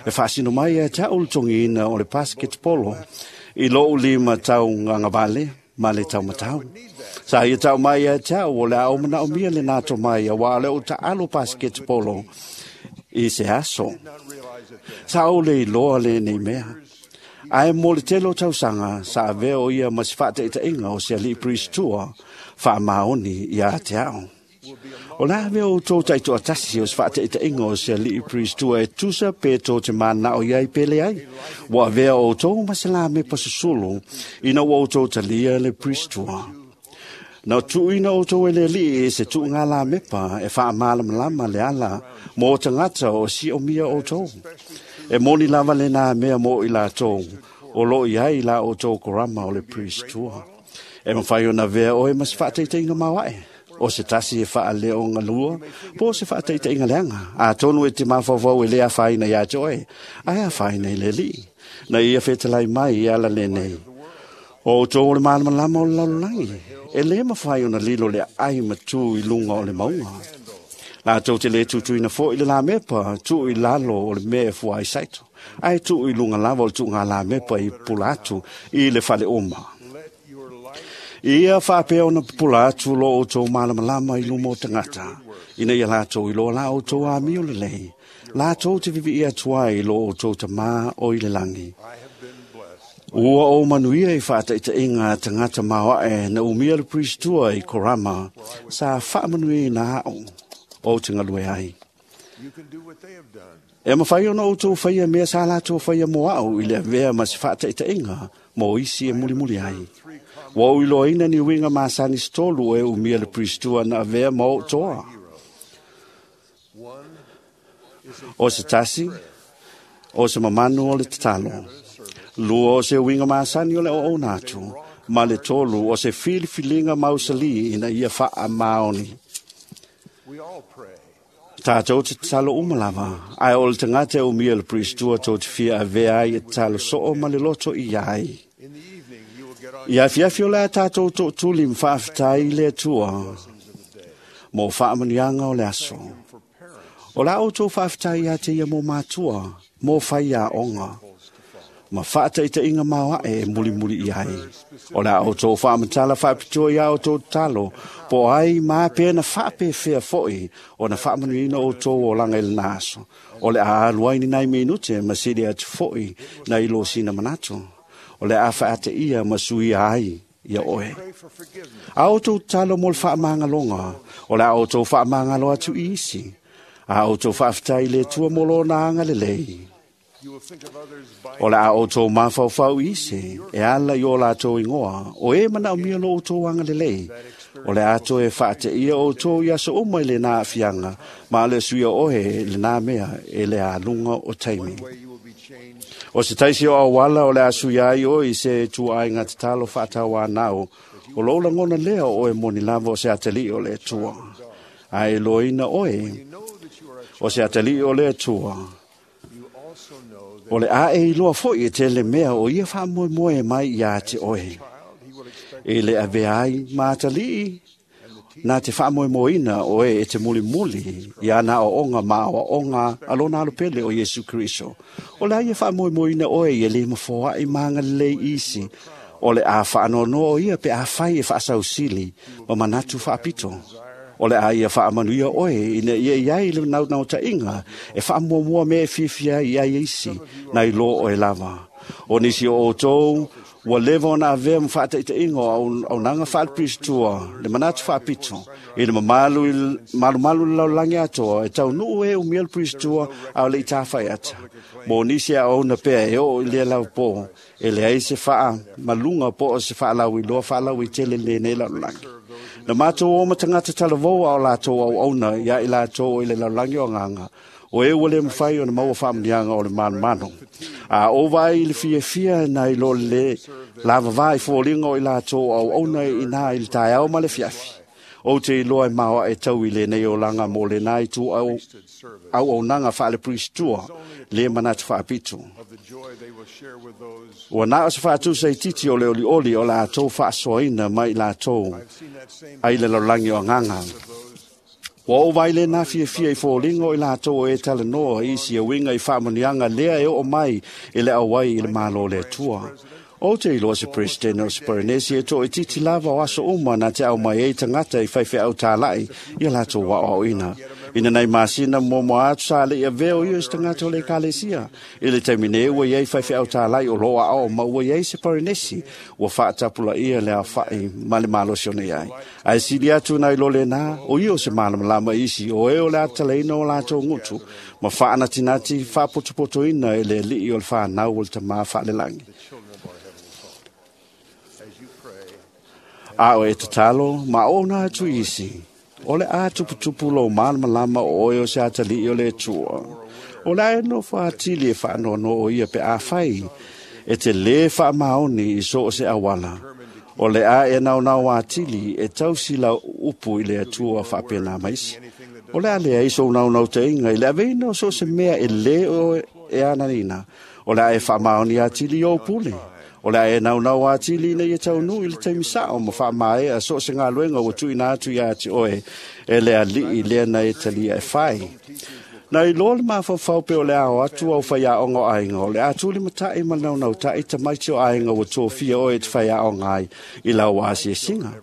e fa'asino mai ia te a'u le togiina o le paseketepolo i lo'u lima taugagavale ma le taumatau. Sa ia tau mai ia te a'u o le a ou mana'omia lenā tomai auā o le ou ta'alo paseketepolo i se aso. Sa ou le iloa lenei mea. Ae mo le tele o tausaga sa avea o ia ma se fa'ataʻitaʻiga o se ali'i puristua fa'amaoni iā te a'o. O le a avea outou ta'itoatasi o se fa'ataʻitaʻiga o se ali'i puristua e tusa pe tou te mana'o iai pe leai. Ua avea outou ma se lamepa susulu ina ua outou talia le puristua. Na tuuina outou e le Ali'i i se tu'ugā lamepa e fa'amalamalama le ala mo tagata o si'omia outou. E moni lava lenā mea mo i latou o lo'o i ai la outou korama o le puristua. E mafai ona avea oe ma se fa'ataʻitaʻiga maoa'e o se tasi e fa'aleogalua po o se fa'ataʻitaʻiga leaga. Atonu e te mafaufau e lē afaina iā te oe, ae afaina i le Ali'i. Na ia fetalai mai i ala lenei. O outou o le malamalama o le lalolagi, e lē mafai ona lilo le aai matū i luga o le mauga. Latou te lē tutuina fo'i le lamepa tuu i lalo o le mea e fua ai saito, ae tuu i luga lava o le tu'ugā lamepa i pupula atu i le faleoma. Ia fa'apea ona pupula atu lo outou malamalama i luma o tagata, ina ia latou iloa la outou amio lelei, latou te vivi'i atu ai i lo outou tamā o i le lagi. Ua ou manuia i fa'ataʻitaʻiga a tagata maoa'e na umia le puristua i Korama sa fa'amanuiaina a'u ou te galue ai. You can do what they have done. E mafai ona outou faia mea sa latou faia mo a'u i le avea ma se fa'ataʻitaʻiga mo isi e mulimuli ai. Ua ou iloaina ni uiga masani se tolu e umia le puristua na avea ma o'u toa. O se tasi, o se mamanu o le tatalo. Lua o se uiga masani o le o'ouna atu, ma le tolu o se filifiliga mausalī ina ia fa'amaoni. We all pray. Tātou te tatalo uma lava, ae o le tagata e umia le puristua tou te fia avea ai e tatalo so'o ma le loto i ai. In the evening, you will get on Ia afiafi o le a tātou to'atuli ma fa'afetai i le Atua mo fa'amanuiaga o le aso. for parents O la outou fa'afetai ia te ia mo matua, mo faiā'oga, Ma whaataita inga maoa e muri muri i ai. O la o tō whaamatala whaapitua ia o tō talo, po ai mā pēna whaape whea foi o na whaamanuina o tō o langa i le aso. O le a aluai ni nai minute ma siri atu foi na ilo sina manato. O le a whaate ia ma sui ai ia oe. A o tō talo mo le whaamangaloga, o le a o tō whaamangalo atu i isi. A o tō whaaftai le tua molo na anga le lei. O la o tō mawhauwhau ise, e ala i o la tō ingoa, o e mana o mia lo o tō anga le lei. O le ato e whaate ia o tō ia so umai le nā whianga, ma le suia ohe le nā mea e le a lunga o taimi. O se taisi o awala o le asu ia i o i se tua ai ngā te talo whaatawa nao, o lola ngona lea o e moni lava o se atali o le tua. A e loina oe, o se atali o le tua. O le a e iloa foi e te le mea o ia wha moe mai ia te oe. E le ave ai mātalii, nā te wha moe oe e te muli muli ia nā o onga mā o onga alona alupele o Yesu Kristo. O le a ia wha moe oe i e le mafoa i maanga lei isi. O le a wha anono o ia pe a whai e wha sausili ma manatu wha apito. O le a ia whaamanuia oe ina ia iai le nau nau ta inga e whaamuamua me e whiwhia i ai isi na i lo oe lava. O nisi o outou, ua leva ona avea ma whaataita inga o au nanga whaalipiristua le manatu whaapito i le mamalu malu malu le laulangi atoa e tau nuu e umia le piristua au le i tāwhai ata. Mo nisi a ona pea e o i lea lau po e le ai se whaa malunga po o se whaalau i loa whaalau i tele le nei laulangi. Na mātou o matangata talavoa o lātou au auna ia i lātou i le laulangi o nganga. O e ua le mwhai o na maua whaamnianga o le manu. A o vai i le fia fia na i lo le lava vai fōlinga o i lātou au auna i nā i le taeao ma le fiafi. O te iloa e maua e tau i le nei o langa mō le nā i tū au au nanga whaale pristua le manatu whaapitu. Ua nā o se whaatusa i titi o le oli oli o la tō whaasoaina mai la tō ai le laulangi o nganga. Ua o vai le nā fia fia i fōlingo i la tō e tala noa i si a winga i whaamanianga lea e o mai i le awai i le malo le tua. O te iloa se president o se Polynesia e tō e titi lava o aso uma nā te au mai e tangata i whaiwhe au tālai i a lātou wao au ina. Ina nei masina mo mo atu sa le ia veo ia se tangata o le kalesia. I le taimi nei ua iai whaiwhe au tālai o loa ao ma ua iai se Polynesia ua whaatapula ia le au whai ma le malosi o nei ai. Ai sili atu nai lole nā o ia o se malamalama isi o e o le ataleina o lātou ngutu ma whaanatinati whaapotopoto ina e le lii o le whanau o le tamā whaalelangi. A o e tatalo, ma o nā atu isi. O le a tuputupu lo malamalama o oe o se atali o le tua. O le ae no whaatili e whaanono o ia pe a whai. E te le whaamaoni i so o se awala. O le a e nau nau atili e tausila upu i le atua whaapena maisi. O le a lea iso nau nau te inga i le aveina o so se mea e le o e ananina. O le a e whaamaoni atili o pule. O le a e nau nau atili ina ia tau nui le taimi sao ma whaamae a so se ngā luenga ua tui nā atu ia ati oe e le alii lea na e talia e whai. Na i loa le mawhawhau pe o le ao atu au whai a ongo ainga o le atuli matai ma nau nau tai tamaiti o ainga ua tōfia oe te whai a onga ai i lau asi e singa.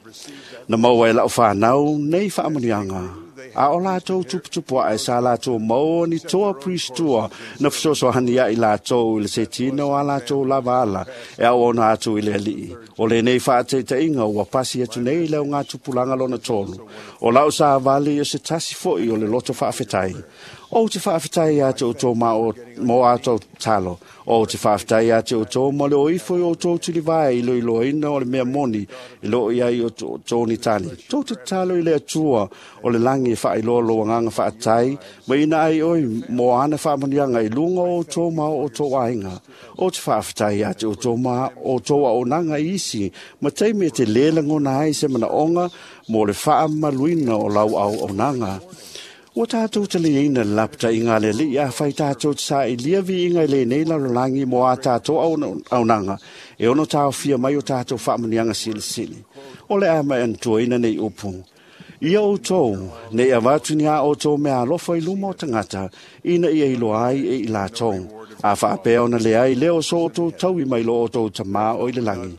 Na maua e lau whanau nei whaamanianga. A o lātou tuputupu a e sa lātou maua ni toa pristua na whasoso hani a i lātou i le setina o a lātou lava ala e au ona atu i le alii. O le nei whaateita inga ua pasi atu nei leo ngā tupulanga lona tolu. O lau sa vali o se tasi foi o le loto whaafetai. O te whaafetai atu o tō mō ātou talo. O te whaafetai atu o tō mo le o ifo i o tō tilivae i lo ina o le mea moni i lo iai o tōni tali. Tō te talo i le atua o le langi e whaailoa lo nganga whaatai ma ina ai oi mō ana whaamanianga i lunga o tō mao o tō ainga. O te whaafetai atu o tō mā o tō o nanga isi ma teime te lela ngona ai se mana onga mō le whaamaluina o lau au o nanga. Ua tātou te le ina lapta i ngā le li a whai tātou te sa i lia vi inga i le nei lalolagi mo a tātou au nanga. E ono tāo fia mai o tātou whaamanianga silisili. O le ama e antua ina nei upu. Ia outou, nei avatu ni a outou mea alofa i luma o tagata, ina ia iloa ai e i latou. A faapea ona leai lea o so outou taui mai lo outou tamā o i le lagi.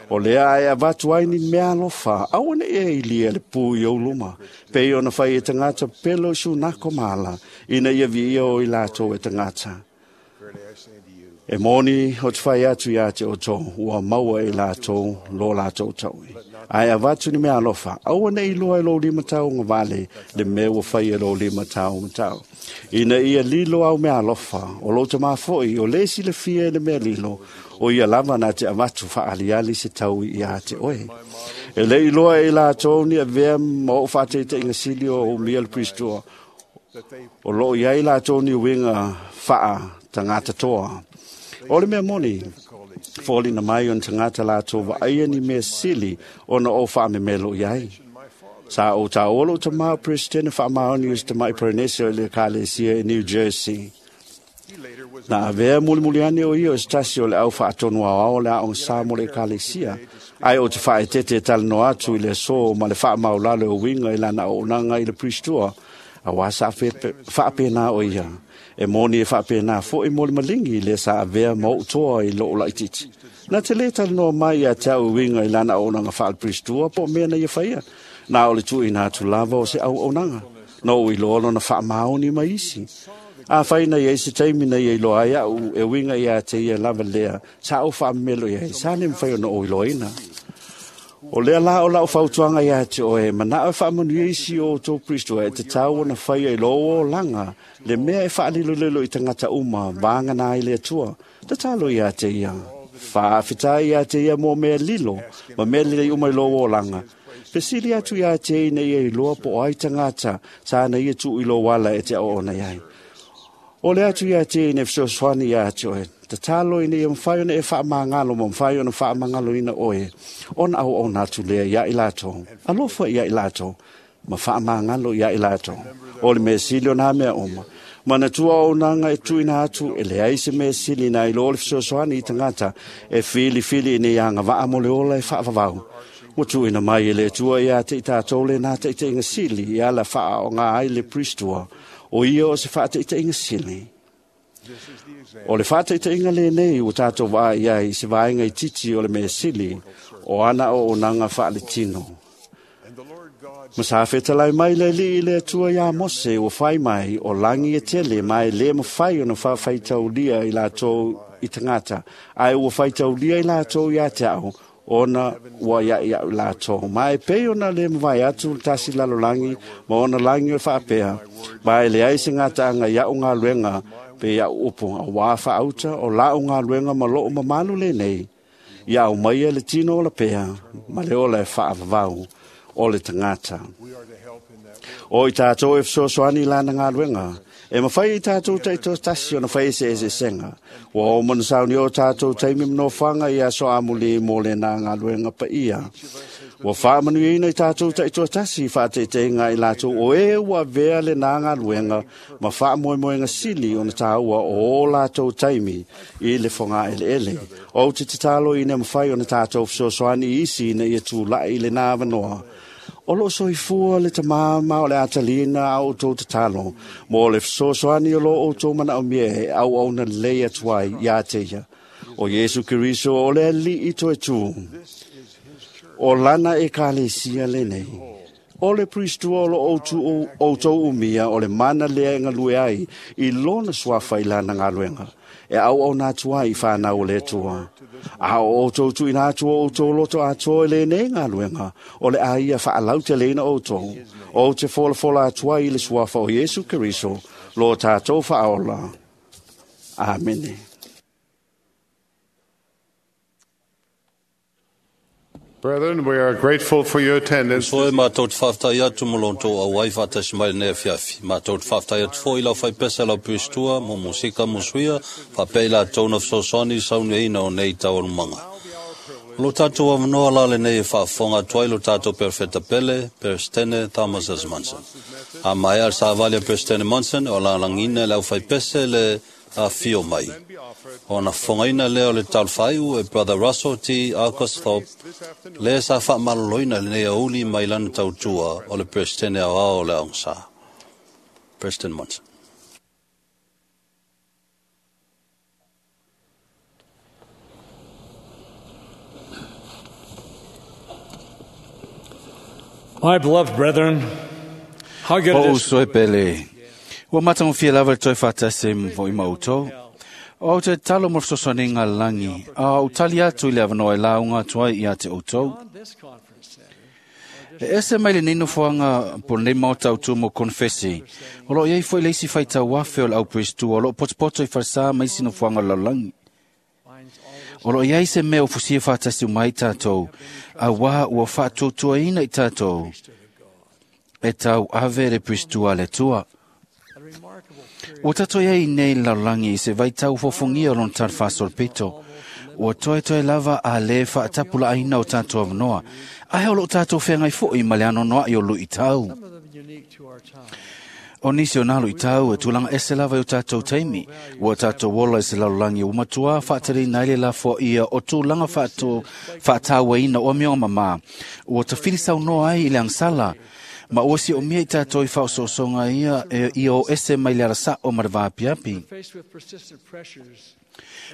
O lea ae avatu ai ni mea alofa, aua ne i e ilia le pu i ou luma. Pei ona fai e tagata pelo i sunako maala, ina ia viia o i latou e tagata. E moni o te whai atu ia te outou, ua maua e latou, lo latou taui. Ae avatu ni mea alofa, aua ne i loa e lou lima tau ngavale, le mea ua fai e lou lima tau matau. Ina ia lilo au mea alofa, o lou tamā foi, o le silafia e le mea lilo, o ia lava na te avatu whaaliali se taui ia te oe. E le iloa e latou ni avea ma o whaateiteinga sili o umia le pristua, o loo iai latou ni uinga whaa tangata toa. O le mea moni, fōlina mai o ni tagata latou vaaia ni mea sili ona o whaamemelo i ai. Sa o tā olo o tamā o Presidente whaamaoni o se tamai Polynesia i le Ekalesia i New Jersey. Na avea mulimuliani o ia o se tasi o le au whaatonu ao le aonga sa mo le Ekalesia. Ai o te whaetete e talanoa atu i le aso ma le whaamaulalo o winga i lana o unanga i le pristua. A wā sa whaapena o ia. E moni e whaapena fo i moli malingi le sa avea ma o toa i loo laititi. Na te le talanoa mai ia te au winga i lana o unanga whaal pristua po mea na ia whaia. Na o le tui nā atu lava o se au aunanga. Na o i loa lona whaamaoni mai isi. A whaina ia isi taimi na ia i loa ai au e winga ia te ia lava lea. Sa au whaamelo ia sa le mwhai ona o i loa ina. O lea la o lau fautuanga ia te oe, mana o whaamanuia isi o tō Kristo e te tau ona whaia i lō o langa, le mea e whaalilolelo i tangata uma, vāngana ai le atua, te talo ia te ia. Whaawhita ia te ia mō mea lilo, ma mea lile i uma i lō o langa. Fesili atu ia te ina ia i loa po ai tangata, tāna ia tu i lō wala e te o ona iai. O le atu ia te ina fesoasoani ia te oe, te talo ina ia mwhai ona e whaamangalo ma mwhai ona whaamangalo ina oe, ona au ona atu lea ia i latou, alofa ia i latou, ma whaamangalo ia i latou. O le mea sili o nā mea oma. Mana tua o nanga e tuina atu e leai se mea sili na i lo le fesoasoani i tangata e whili whili ina ia ngā waa mo le ola e whaavavau. Ua tuina mai e le tua ia te i tātou le nā te i te inga sili i ala whaa o ngā ai le pristua o ia o se whaa te i te inga sili. O le whāteiteinga le nei o tātou wā ia i se vaenga i titi o le mea sili o ana o onanga whaale tino. Ma sa whetalai mai le li i le atua ia Mose o whai mai o langi e tele mai le mawhai ona whawhaitaulia i lātou i tangata. Ai ua whaitaulia i lātou i a te ao ona ua ia ia lātou. Mai pei ona le mwai atu tasi lalo langi ma ona langi o whaapea. Mai le ai se ngata anga ia o ngā luenga pe ia upo a wā whaauta o la o ngā luenga ma loo mamalu le nei. Ia au mai e le tino o la pea, ma le ola e whaavavau o le tangata. O i tātou e fesoasoani lana ngā luenga, e mawhai i tātou taito tasi ona whai ese ese senga. Ua o mana sauni o tātou taimi mnowhanga i aso amuli mō le nā ngā luenga pa ia. Ua whaamanuina i tātou taito tasi i whaateiteinga i lātou o e ua vea le nā ngā luenga ma whaamoemoenga sili ona tāua o o lātou taimi i le whanga ele ele. O te tatalo i ne mawhai ona tātou fesoasoani isi ina ia tūlai i le nā wanoa. O lo soifua le tamama o le atalina au tō tatalo, mō le fesoasoani o lo o tō mana o mea e au au na lei atuai ia te ia. O Yesu Keriso o le ali i toe tū. O lana e kalesia le nei. O le pristua o lo o tō umia o le mana lea e ngalue ai i lona suafa i lana ngaluenga. E au au nā tua i whānau o le tua. A o tō tui nā tua o tō loto a tō e le nei ngaluenga. O le aia whaalau te leina o tō. O te fola fola atua i le suafa o Yesu Keriso. Lo tātou whaaola. Amene. Brethren, we are grateful for your attendance. Soe mātou te whaftai atu mo lonto a wai whatasi mai nei fiafi. Mātou te whaftai atu fo i lau whaipesa lau pistua, mo musika mo suia, whapei la tōna fesoasoani sauni ina o nei taualumanga. Lo tātou awanoa la le nei e whaafonga tuai lo tātou perfeta pele, Perestene Thomas S. Monson. A mai al sa avalia Perestene Monson, o la langina lau whaipese le afio mai. Ona fofogaina lea o le talofaiu e Brother Russell T. Alcosthorpe, lea sa faamaloloina lenei auli mai lana tautua o le Peresetene aoao o le Aoga Sa. President Monson. My beloved brethren, how good it O is uso e pele. Ua matagofie lava le toe faatasi foʻi ma outou. O te talo mo le fesoasoaniga lalagi, a ou tali atu i le avanoa e lauga atu ai ia te outou. E ese mai lenei nofoaga po lenei maota autu mo konefesi. O loo iai foi le isi faitauafe o le auperestua o loo potopoto i falesā ma isi nofoaga o le lalolagi. O loo iai se mea o fusia faatasi uma ai tatou, auā ua faatuatuaina i tatou e tau ave le perestua a le Atua. Ua tatou iai i nei lalolagi i se vaitau fofogia o lona talafāsolopito. Ua toetoe lava a lē faatapulaaina o tatou avanoa, ae o loo tatou feagai foʻi ma le anoanoaʻi o luʻitau. O nisi o nā luʻitau e tulaga ese lava i o tatou taimi, ua tatou ola i se lalolagi ua matuā faatalina ai le lafoaia o tulaga faatauaina o amioga mamā, ua tafili saunoa ai i le agasala, ma ua siomia i tatou i faaosoosoga ia e ia o ese mai le alasaʻo ma le vaapiapi. faced with persistent pressures.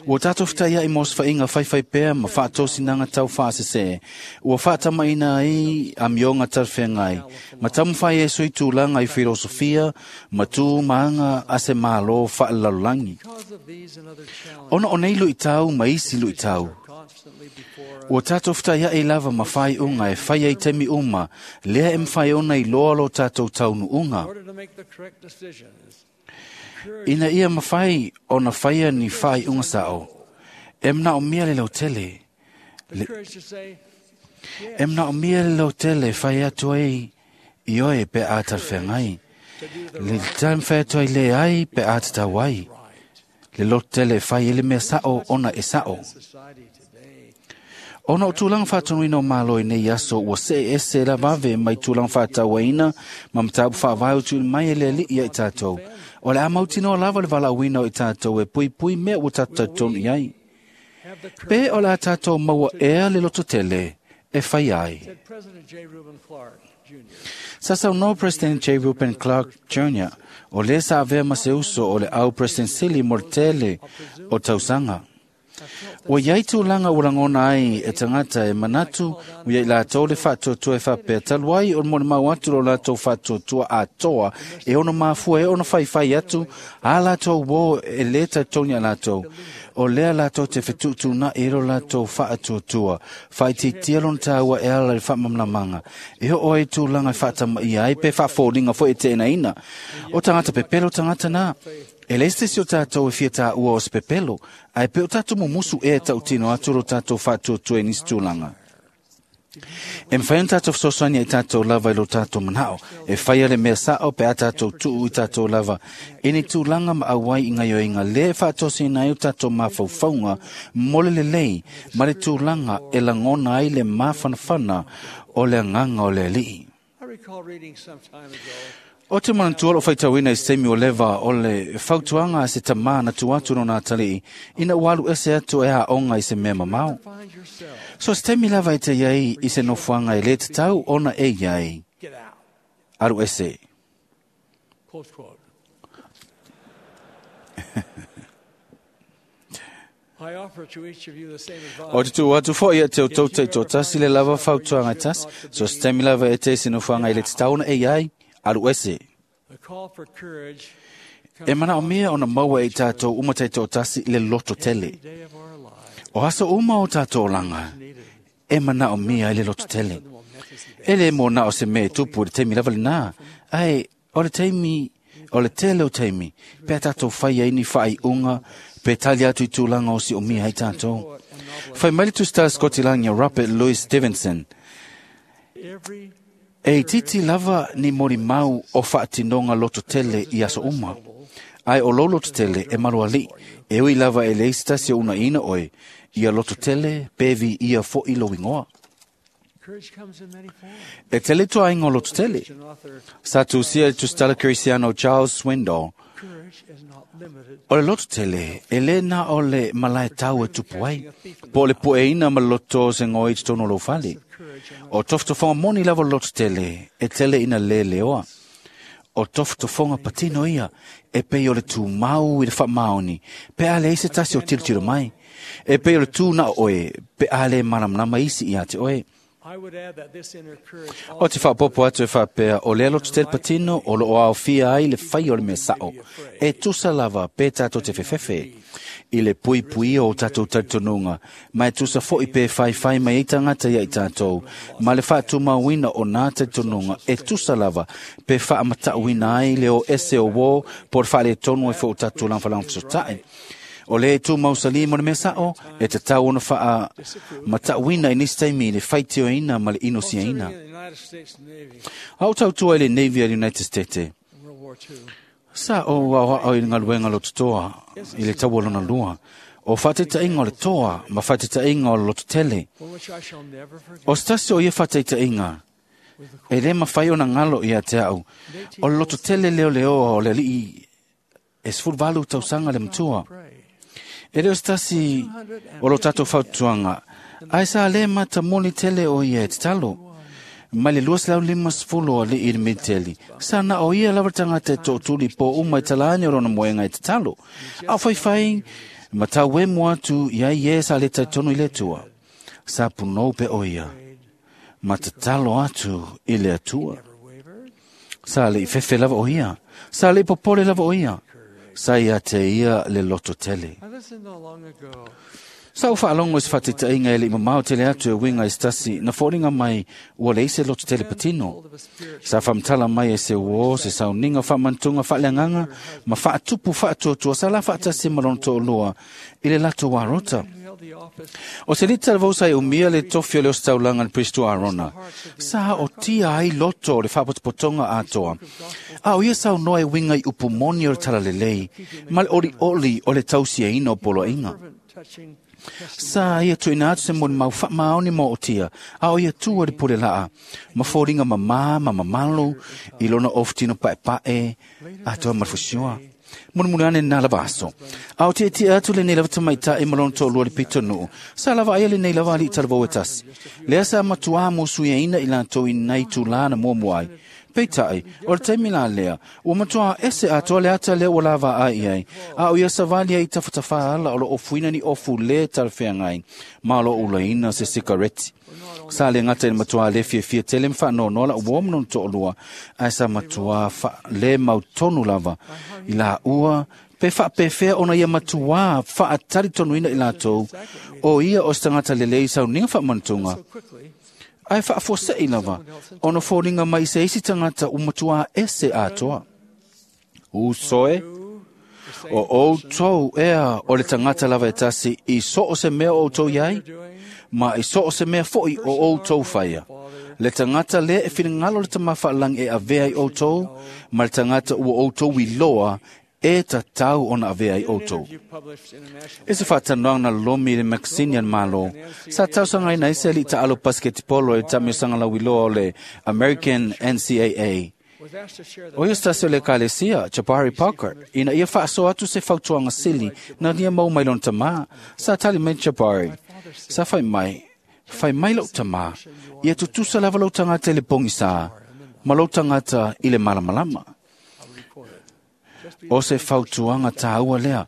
Ua tatou fetaiaʻi mo osofaiga faifaipea ma faatosinaga tau faasesē, ua faatamaina ai amioga talafeagai, ma taumafai ai sui tulaga i filosofia ma tu ma aga a se mālō faalelalolagi. Because of these and other challenges Ona o nei luʻitau ma isi luʻitau, constantly before us, ua tatou fetaiaʻi lava ma faaiuga e fai ai taimi uma, lea e mafai ona iloa lo tatou taunuuga. in order to make the correct decisions, Ina ia mafai ona faia ni faaiuga saʻo, e manaomia le lautele. the courage to say E manaomia le lautele e fai atu ai i oe pe a talafeagai. Le taumafai atu ai le ai pe a tatau ai. Le lototele e fai ai le mea saʻo ona e saʻo. society today, Ona o tulaga faatonuina o Malo i nei aso ua see ese lavave mai tulaga faatauaina ma mataupu faavae o tuuina mai e le Alii ia i tatou. O le a mautinoa lava le valaauina o i tatou e puipui mea ua tatou talitonu i ai. have the Pe courage, o le a tatou maua ea le lototele e fai ai. said President J. Reuben Clark Jr. Sa saunoa President J. Reuben Clark Jr. o lē sa avea ma se uso o le au President Sili mo le tele o tausaga. Ua iai tulaga ua lagona ai e tagata e manatu ua iai latou le faatuatua e faapea talu ai o le molimau atu lo latou faatuatua atoa e ono mafua e ono faifai atu a latou uō e lē talitonu iā latou. O lea latou te fetuutuunaʻi ai lo latou faatuatua, faaitiitia lona tāua e ala i le faamalamalamaga, e oo ai tulaga e faatamaia ai pe faafoliga foi e teenaina. O tagata pepelo tagata na. E le se isi o tatou e fia tāua o se pepelo, ae pe o tatou mumusu ea e tautino atu lo tatou faatuatua i nisi tulaga. E mafai ona tatou fesoasoani ai tatou lava i lo tatou manao, e faia le mea saʻo pe a tatou tuu i tatou lava, i ni tulaga ma auai i gaioiga lea e faatosina ai o tatou mafaufauga mo le lelei ma le tulaga e lagona ai le mafanafana o le agaga o le Alii. I recall reading some time ago O te manatua loo faitauina i se taimi o leva o le fautuaga a se tamā na tu atu lona atalii ina ua alu ese atu e aoga i se mea mamao. find yourself, So se taimi lava e te iai i se nofoaga e lē tatau ona e iai. get out, Alu ese. close quote. I offer to each of you the same O te advice. tuu atu foʻi ia te outou taitoatasi le lava fautuaga e tasi. So se taimi lava e te i se nofoaga e lē tatau ona e iai. Alu ese. The call for courage E manaomia ona maua e i tatou uma taitoatasi le loto tele. every day of our lives O aso uma o tatou olaga, needed. e manaomia ai le loto tele. The momentous event. E le mo na o se mea e tupu i le taimi lava lenā, ae o le taimi, o le tele o taimi, pe a tatou fai ai ni faaiuga, pe tali atu i tulaga o siomia ai tatou. Fai mai le tusitala Scotland ia Robert Louis Stevenson, Every e itiiti lava ni molimau o faatinoga loto tele i aso uma. Ae o lou loto tele e malualii, e ui lava e leai se tasi o unaina oe, ia loto tele pe viia foʻi lou igoa. courage comes in many forms. E tele tuaiga o loto tele. Christian author Sa tusia i le tusitala Kerisiano Charles Swindoll, courage O le loto tele, e le na o le malae tau e tupu ai, po o le pueina ma le loto se ngoi i totonu o lou fale. O tofotofoga moni lava le loto tele, e tele ina le leoa. O tofotofoga patino ia, e pei o le tumau i le faamaoni, pe a leai se tasi o tilotilo mai. E pei o le tu na o oe, pe a le malamalama isi ia te oe. O te faapopo atu e faapea, o lea loto tele patino o loo aofia ai le fai o le mea sao. E tusa lava pe tātou te fefefe i le puipuia o tātou talitonuga, ma e tusa foi pe faifai mai ai tagata ia i tātou, ma le faatumauina o nā talitonuga e tusa lava pe faamatauina ai le o ese o uō po o le faaletonu ai foi o tatou lagafalagafesotae. O le tu mausali mo le mea sao, e tatau ona faamatauina i nisi taimi i le faitioina ma le inosiaina. A o tautua i le Navy a le United States, sa o aoao i le galuega lototoa i le taua lona lua, o faataitaiga o le toa ma faataitaiga o le lototele. O se tasi o ia faataitaiga, e le mafai ona galo ia te au, o le lototele leoleoa o le alii e 18 tausaga le matua. E le o se tasi o lo tatou fautuaga, ae sa le matamoli tele o ia e tatalo. Mai le 250 o alii i le militeli, sa na o ia lava le tagata e tootuli po uma i talani o lona moega e tatalo. A o faifai, ma tau emo atu ia i e sa le talitonu i le Atua. Sa punou pe o ia, ma tatalo atu i le Atua. Sa le i fefe lava o ia, sa le i popole lava o ia, sa ia te ia le loto tele. Sa o faalogo i se faataitaiga e le i mamao tele atu e uiga i se tasi na foliga mai ua leai se loto tele patino. Sa faamatala mai e se uō se sauniga faamanatuga faaleagaga ma faatupu faatuatua sa la faatasi ma lona toalua i le latou arota. O se lita lava sa e umia le tofi o le ositaulaga le Pristo Arona, sa o tia ai loto o le faapotopotoga atoa. A o ia saunoa e uiga i upu moni o le talalelei, ma le olioli o le tausiaina o poloaiga. Sa ia tuuina atu se molimau faamaoni ma ootia, a o ia tua le pule laa, ma foliga mamā ma mamalu i lona ofutino paepae atoa ma le fusioa. Mulimuli ane lena lava aso. A o tietie atu lenei lava tamaitai ma lona toalua le pitonuu, sa lava aia lenei lava alii talavou e tasi. Lea sa matuā musuiaina i latou i nai tūlā na muamua ai. Peitai, o le taimi la lea, ua matuā ese atoa le ata lea ua lava ai ai, a o ia savali ai tafatafā ala o lo ofuina ni ofu le talafeagai, ma o lo ulaina se sikareti. Sa le gata i le matuā le fiafia tele ma faanoanoa la ua ma lona toalua, ae sa matuā le mautonu lava i la ua pe faapefea ona ia matuā faatalitonuina i latou, o ia o se tagata lelei sauniga faamanatuga, ae faafuasei lava ona foliga mai se isi tagata ua matuā ese atoa. Usoe, o outou ea o le tagata lava e tasi i so o se mea o outou iai, ma i so o se mea foi o outou faia. Le tagata lea e finagalo le Tama Faalagi e avea i outou, ma le tagata ua outou iloa e tatau ona avea i outou. E se faatanoaga na lolomi i le makasini a le Malo, sa tausagaina ai se alii taalo pasiketipolo e tamiosaga lauiloa o le American NCAA. O ia se tasi o le ekalesia, Jabari Parker, ina ia faasoa atu se fautuaga sili na lia mau mai lona tamā. Sa tali mai Jabari, sa fai mai, fai mai lou tamā, ia tutusa lava lou tagata i le pogisā, ma lou tagata i le malamalama. O se fautuaga tāua lea.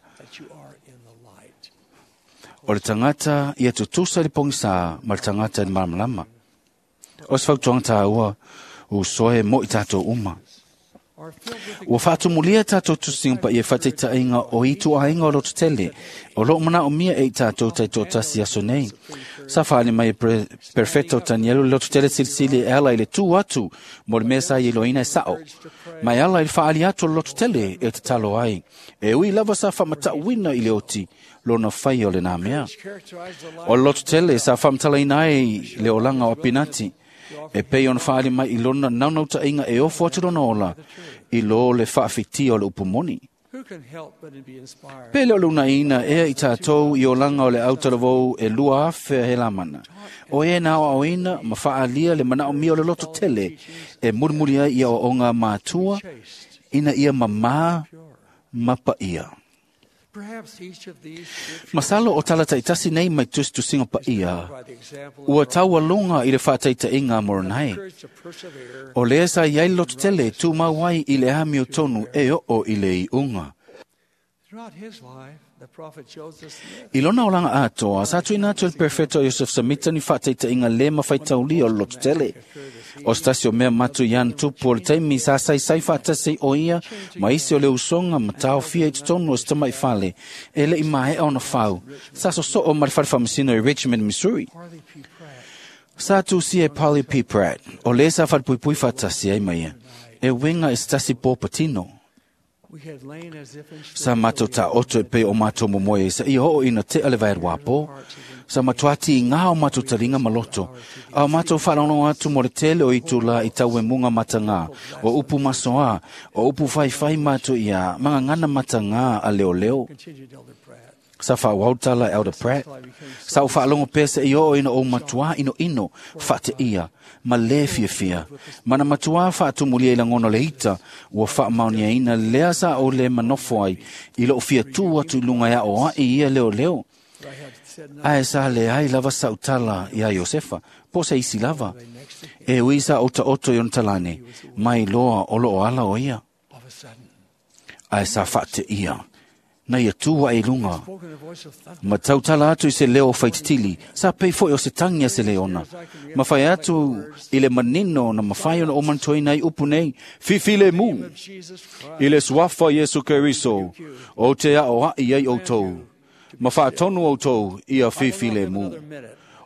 O le tagata ia tutusa i le pogisā ma le tagata i le malamalama. O se fautuaga tāua, usoe mo i tātou uma. Ua faatumulia tātou tusiga paia faataitaiga o ituaiga o loto tele, o loo manaomia e i tātou taitoatasi aso nei. Sa faali mai e Perfecto Tanielu le loto tele silisili e ala i le tu atu mo le mea sa iloina e sao. Ma e ala i le faali atu o le loto tele e tatalo ai. E ui lava sa faamatauina i le oti lona fai o lena mea. O le loto tele sa faamatalaina ai le olaga o Apinati, e pei ona faali mai i lona naunautaiga e ofo atu lona ola i lo le faafitia o le upu moni. Pe le o le unaiina ea i tātou i olaga o le autalavou e 2,000 he lamana. O e na aoaoina ma faalia le manaomia o le loto tele e mulimuli ai i aoaoga matua ina ia mamā ma paia. Masalo o tala taitasi nei mai tusitusiga paia, ua taualoga i le faataitaiga a Moronai. O lea sa i ai le lototele tumau ai i le amiotonu e oo i le iuga. I lona olaga atoa, sa tuuina atu e le Perofeta o Iosefa Samita ni faataitaiga lē mafaitaulia o le lototele. O se tasi o mea matu i ana tupu o le taimi sa saisai faatasi ai o ia ma isi o le usoga ma taofia i totonu o se tama'i fale e le'i maea ona fau, sa sosoo ma le fale faamasino i Richmond, Missouri. Sa tusia e Polly P. Pratt, o lē sa falepuipui faatasi ai ma ia, e uiga i se tasi pō patino. Sa matou taoto e pei o matou momoe ai seia oo ina tea le vaeluapo. Sa matuā tigā o matou taliga ma loto, a o matou faalogologo atu mo le tele o itulā i tauemuga matagā, o upu masoā, o upu faifai matou iā, ma gagana matagā a leoleo. Sa faaauau tala e Elder Pratt. Sa ou faalogo pea seia oo ina ou matuā inoino, faateia, ma lē fiafia. Ma na matuā faatumulia i lagona o le ita, ua faamaoniaina lea sa ou lē manofo ai i lou fia tū atu i luga e aoaʻi ia leoleo. Ae sa leai lava sa'u tala iā Iosefa, po o se isi lava. E ui sa ou taoto i ona talane, mai loa o loo ala o ia. Ae sa faateia, na ia tū aʻe i luga ma tautala atu i se leo o faititili, sa pei foʻi o se tagi a se leona. Ma fai atu i le manino na mafai ona ou manatuaina ai upu nei, Fifi le mu, i le suafa Iesu Keriso, o te aʻoaʻi ai ʻoutou, ma faatonu ʻoutou ia fifi le mu.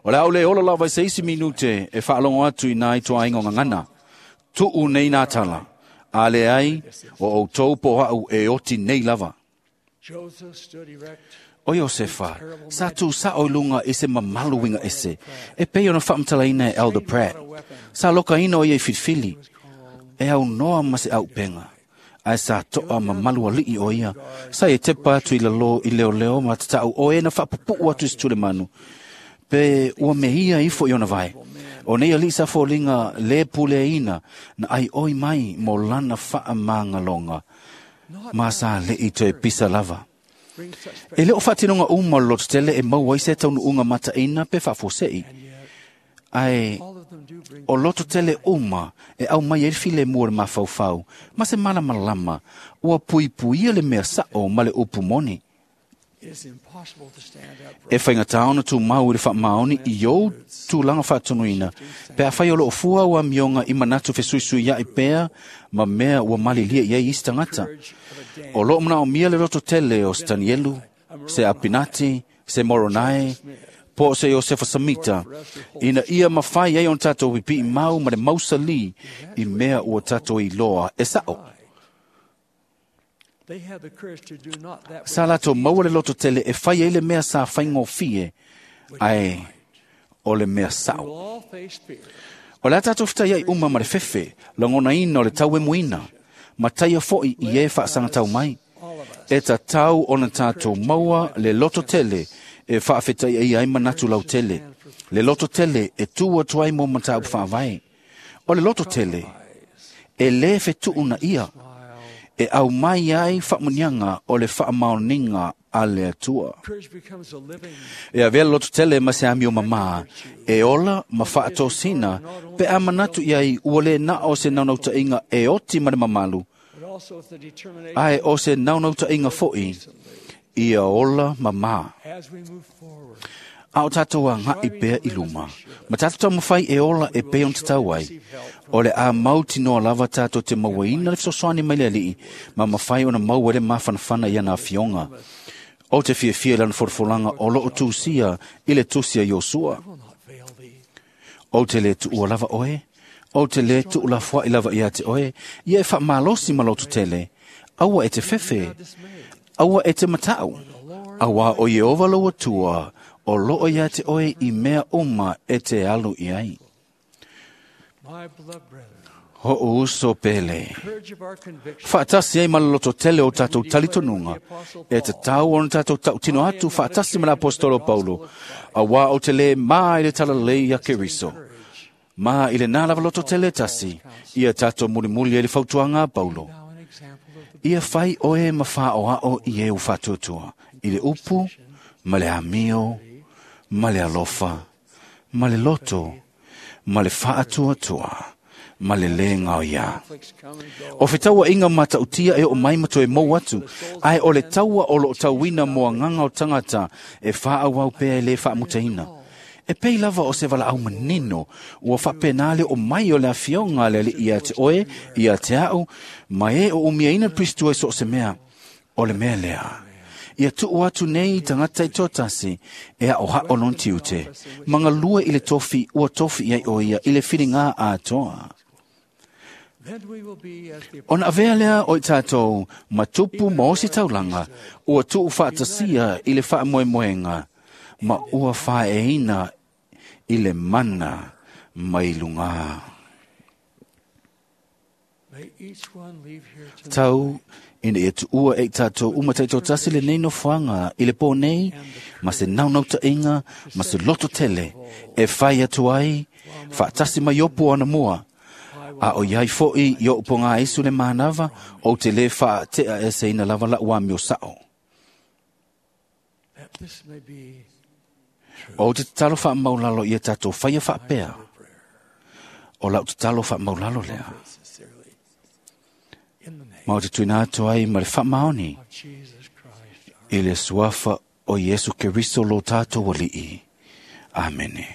O le a ou lē ola lava i se isi minute e faalogo atu i nā ituaiga o gagana. Tuʻu nei nā tala, a leai o ʻoutou po o aʻu e oti nei lava. O Iosefa, sa tusaʻo i luga i se mamalu uiga ese, e pei ona faamatalaina e Elder Pratt. Sa lokaina o ia i filifili, e aunoa ma se aupega. Ae sa toʻa mamalu aliʻi o ia. Sa ia tepa atu i lalō i leoleo ma tataʻu o e na faapupuu atu i se tulemanu. Pe ua meia ifo i ona vae. O nei aliʻi sa foliga lē puleaina na ʻaiʻoi mai mo lana faamagaloga. Ma sa leʻi toe pisa lava. E le o faatinoga uma o le lototele e maua ai se taunuuga mataʻina pe faafuaseʻi. Ae o lototele uma e aumai ai le filemu o le mafaufau ma se malamalama ua puipuia le mea saʻo ma le upu moni. E faigatā ona tumau i le faamaoni i ou tulaga faatonuina, pe afai o loo fua au amioga i manatu fesuisuiaʻi pea ma mea ua malilia i ai isi tagata. O loo manaomia le lototele o se Tanielu, se Apinati, se Moronae, po o se Iosefa Samita, ina ia mafai ai ona tatou pipiʻi mau ma le mausalī i mea ua tatou iloa e saʻo. Sa latou maua le lototele e fai ai le mea sa faigofie, ae o le mea saʻo. O le a tatou fetaiaʻi uma ma le fefe, lagonaina o le tauemuina, ma taia foʻi i e faasagatau mai. E tatau ona tatou maua le lototele e faafetaiaia ai manatu lautele, le lototele e tū atu ai mo mataupu faavae. O le lototele e lē fetuunaia, e aumai ai faamuniaga o le faamaoniga a le Atua. E avea le lototele ma se amio mamā, e ola ma faatosina, pe a manatu i ai ua lē na o se naunautaiga e oti ma le mamalu, ae o se naunautaiga foʻi ia ola mamā. A o tatou agaʻi pea i luma, ma tatou taumafai e ola e pei ona tatau ai, o le a mautinoa lava tatou te mauaina le fesoasoani mai le Aliʻi, ma mafai ona maua ai le mafanafana i ana afioga. O te fiafia i lana folafolaga o loo tusia i le tusi a Iosua. Ou te lē tuua lava oe, ou te lē tuulafoaʻi lava iā te oe, ia e faamalosi ma lototele, aua e te fefe, aua e te mataʻu, auā o Ieova lou Atua, o loo iā te oe i mea uma e te alu i ai. Hoʻo uso pele. Faatasi ai ma le lototele o tatou talitonuga, e tatau ona tatou tautino atu faatasi ma le apostolo Paulo, auā ou te lē mā i le talalelei ia Keriso. Ma i lenā lava lototele e tasi, ia tatou mulimuli ai le fautuaga a Paulo. Ia fai oe ma whaoao i e u whatuatua, i le upu, ma le amio, ma le alofa, ma le loto, ma le whaatuatua, ma le le ngao ia. O fetaua inga mata utia e o mai matoe mou atu, ae o le taua o lo tauina moa nganga o tangata e wha au pea e le whaamutaina. E pei lava o se wala au manino, ua whapenale o mai o le afionga le ia te oe, ia te au, mai e o umiaina pristua so se mea, o le mea lea. Ia tuu atu nei tangata i tōtasi, e a oha o non tiute, manga lua i le tofi, ua tofi iai o ia, i le whiringa a toa. Ona avea lea o i tātou, matupu ma osi taulanga, ua tuu whaatasia i le whaamoemoenga, ma ua whaeina i le mana mai lunga. Tau, ina ia tuua e tātou umatai tō tasi le nei nofoanga i le pō nei, ma se naunauta inga, ma se loto tele, e whai atu ai, whaatasi mai opu ana mua. A o iai fo'i i o upo ngā isu le mānawa, o te le whaatea e se ina lava la ua mio sao. O te tatalo wha maulalo ia tātou whaia whaapea. O lau tatalo wha maulalo lea. Ma o te tuina atu ai ma le whaamaoni i le suafa o Iesu Keriso lo tātou wali'i. Amene.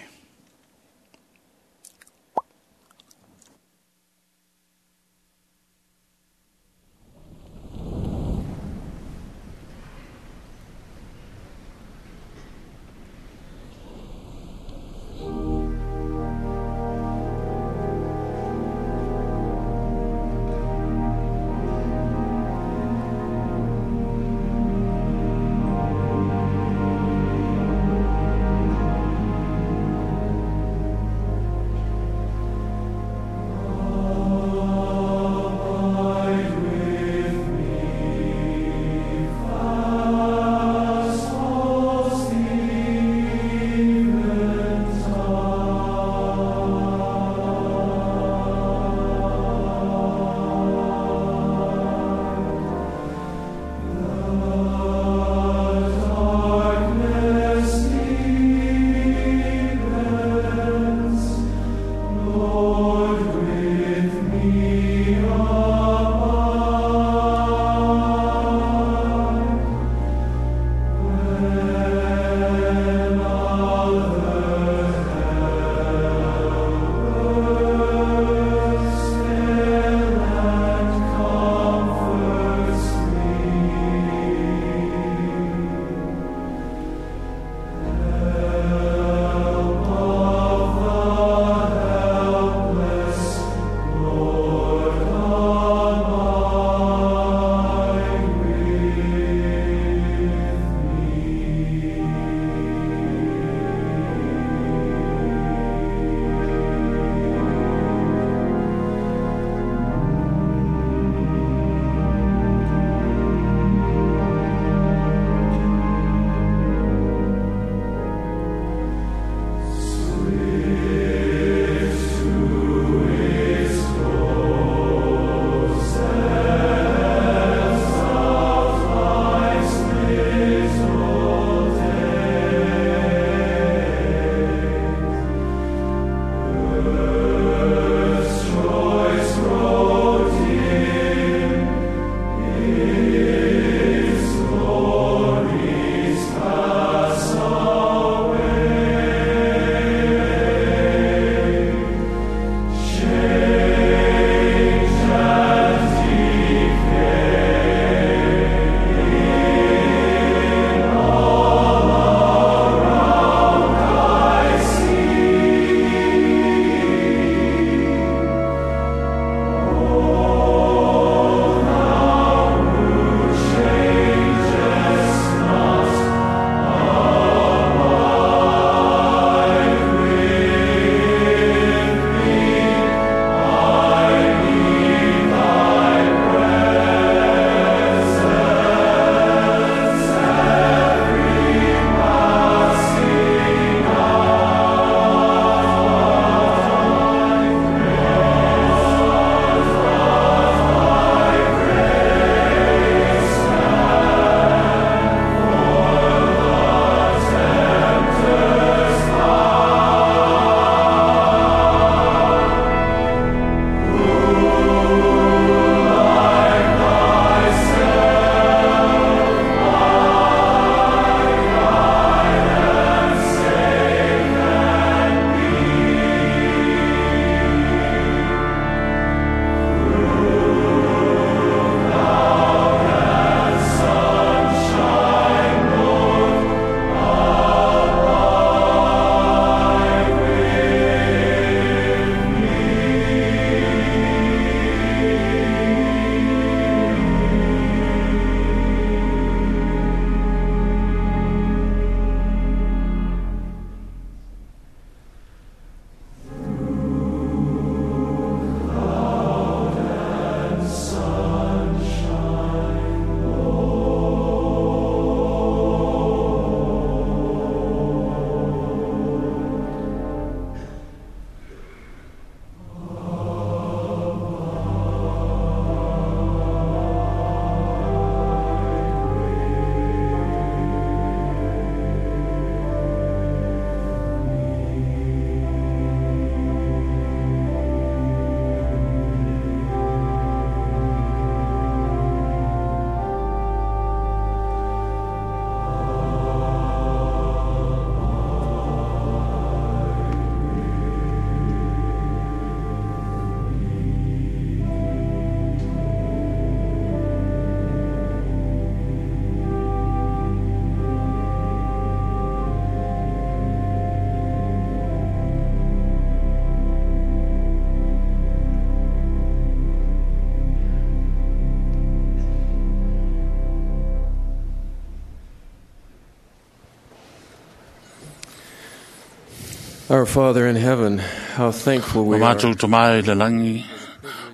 Our Father in heaven, how thankful we O are mātou tamā i le langi,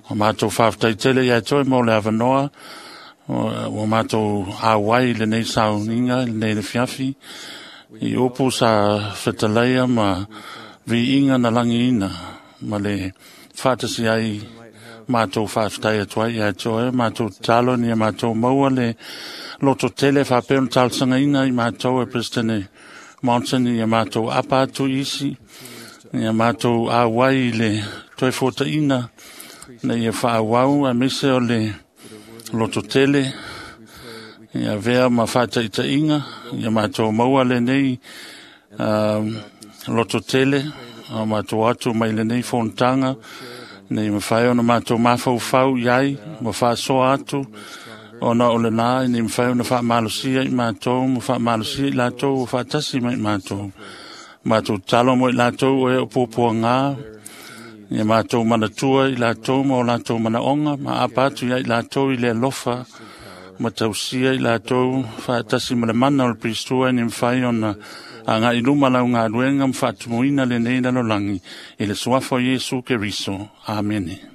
o mātou whāwhtai tele ia toi mō le awanoa, o mātou āwai le nei sauninga, le nei le fiafi, i upu sa whetaleia ma viinga na langi ina, ma le whātasi ai mātou whāwhtai atu ai ia toi, mātou talo ni a mātou maua le loto tele whāpeo na talsanga ina i mātou e President Mountain i a mātou apa atu isi, ia mātou āwai i le toe fōtaina, na ia whaawau a mese o le loto tele, ia vea ma whātaitainga, ia mātou maua le nei loto tele, a mātou atu mai le nei fōntanga, nei mawhai ona mātou mawhauwhau iai, ma whaasoa atu, ona o le nā, nei mawhai ona whaamalosia i mātou, ma whaamalosia i lātou, o whaatasi mai mātou. Mātou talo mo i lātou o e o pōpōa ngā, ia mātou manatua i lātou ma o lātou manaonga, ma apa atu ia i lātou i le alofa, ma tausia i lātou whaatasi ma le mana o le Pristua ni mwhai ona a ngā iluma lau ngā luenga ma whaatumuina le nei lalolangi i le suafa o Iesu Keriso. Amene.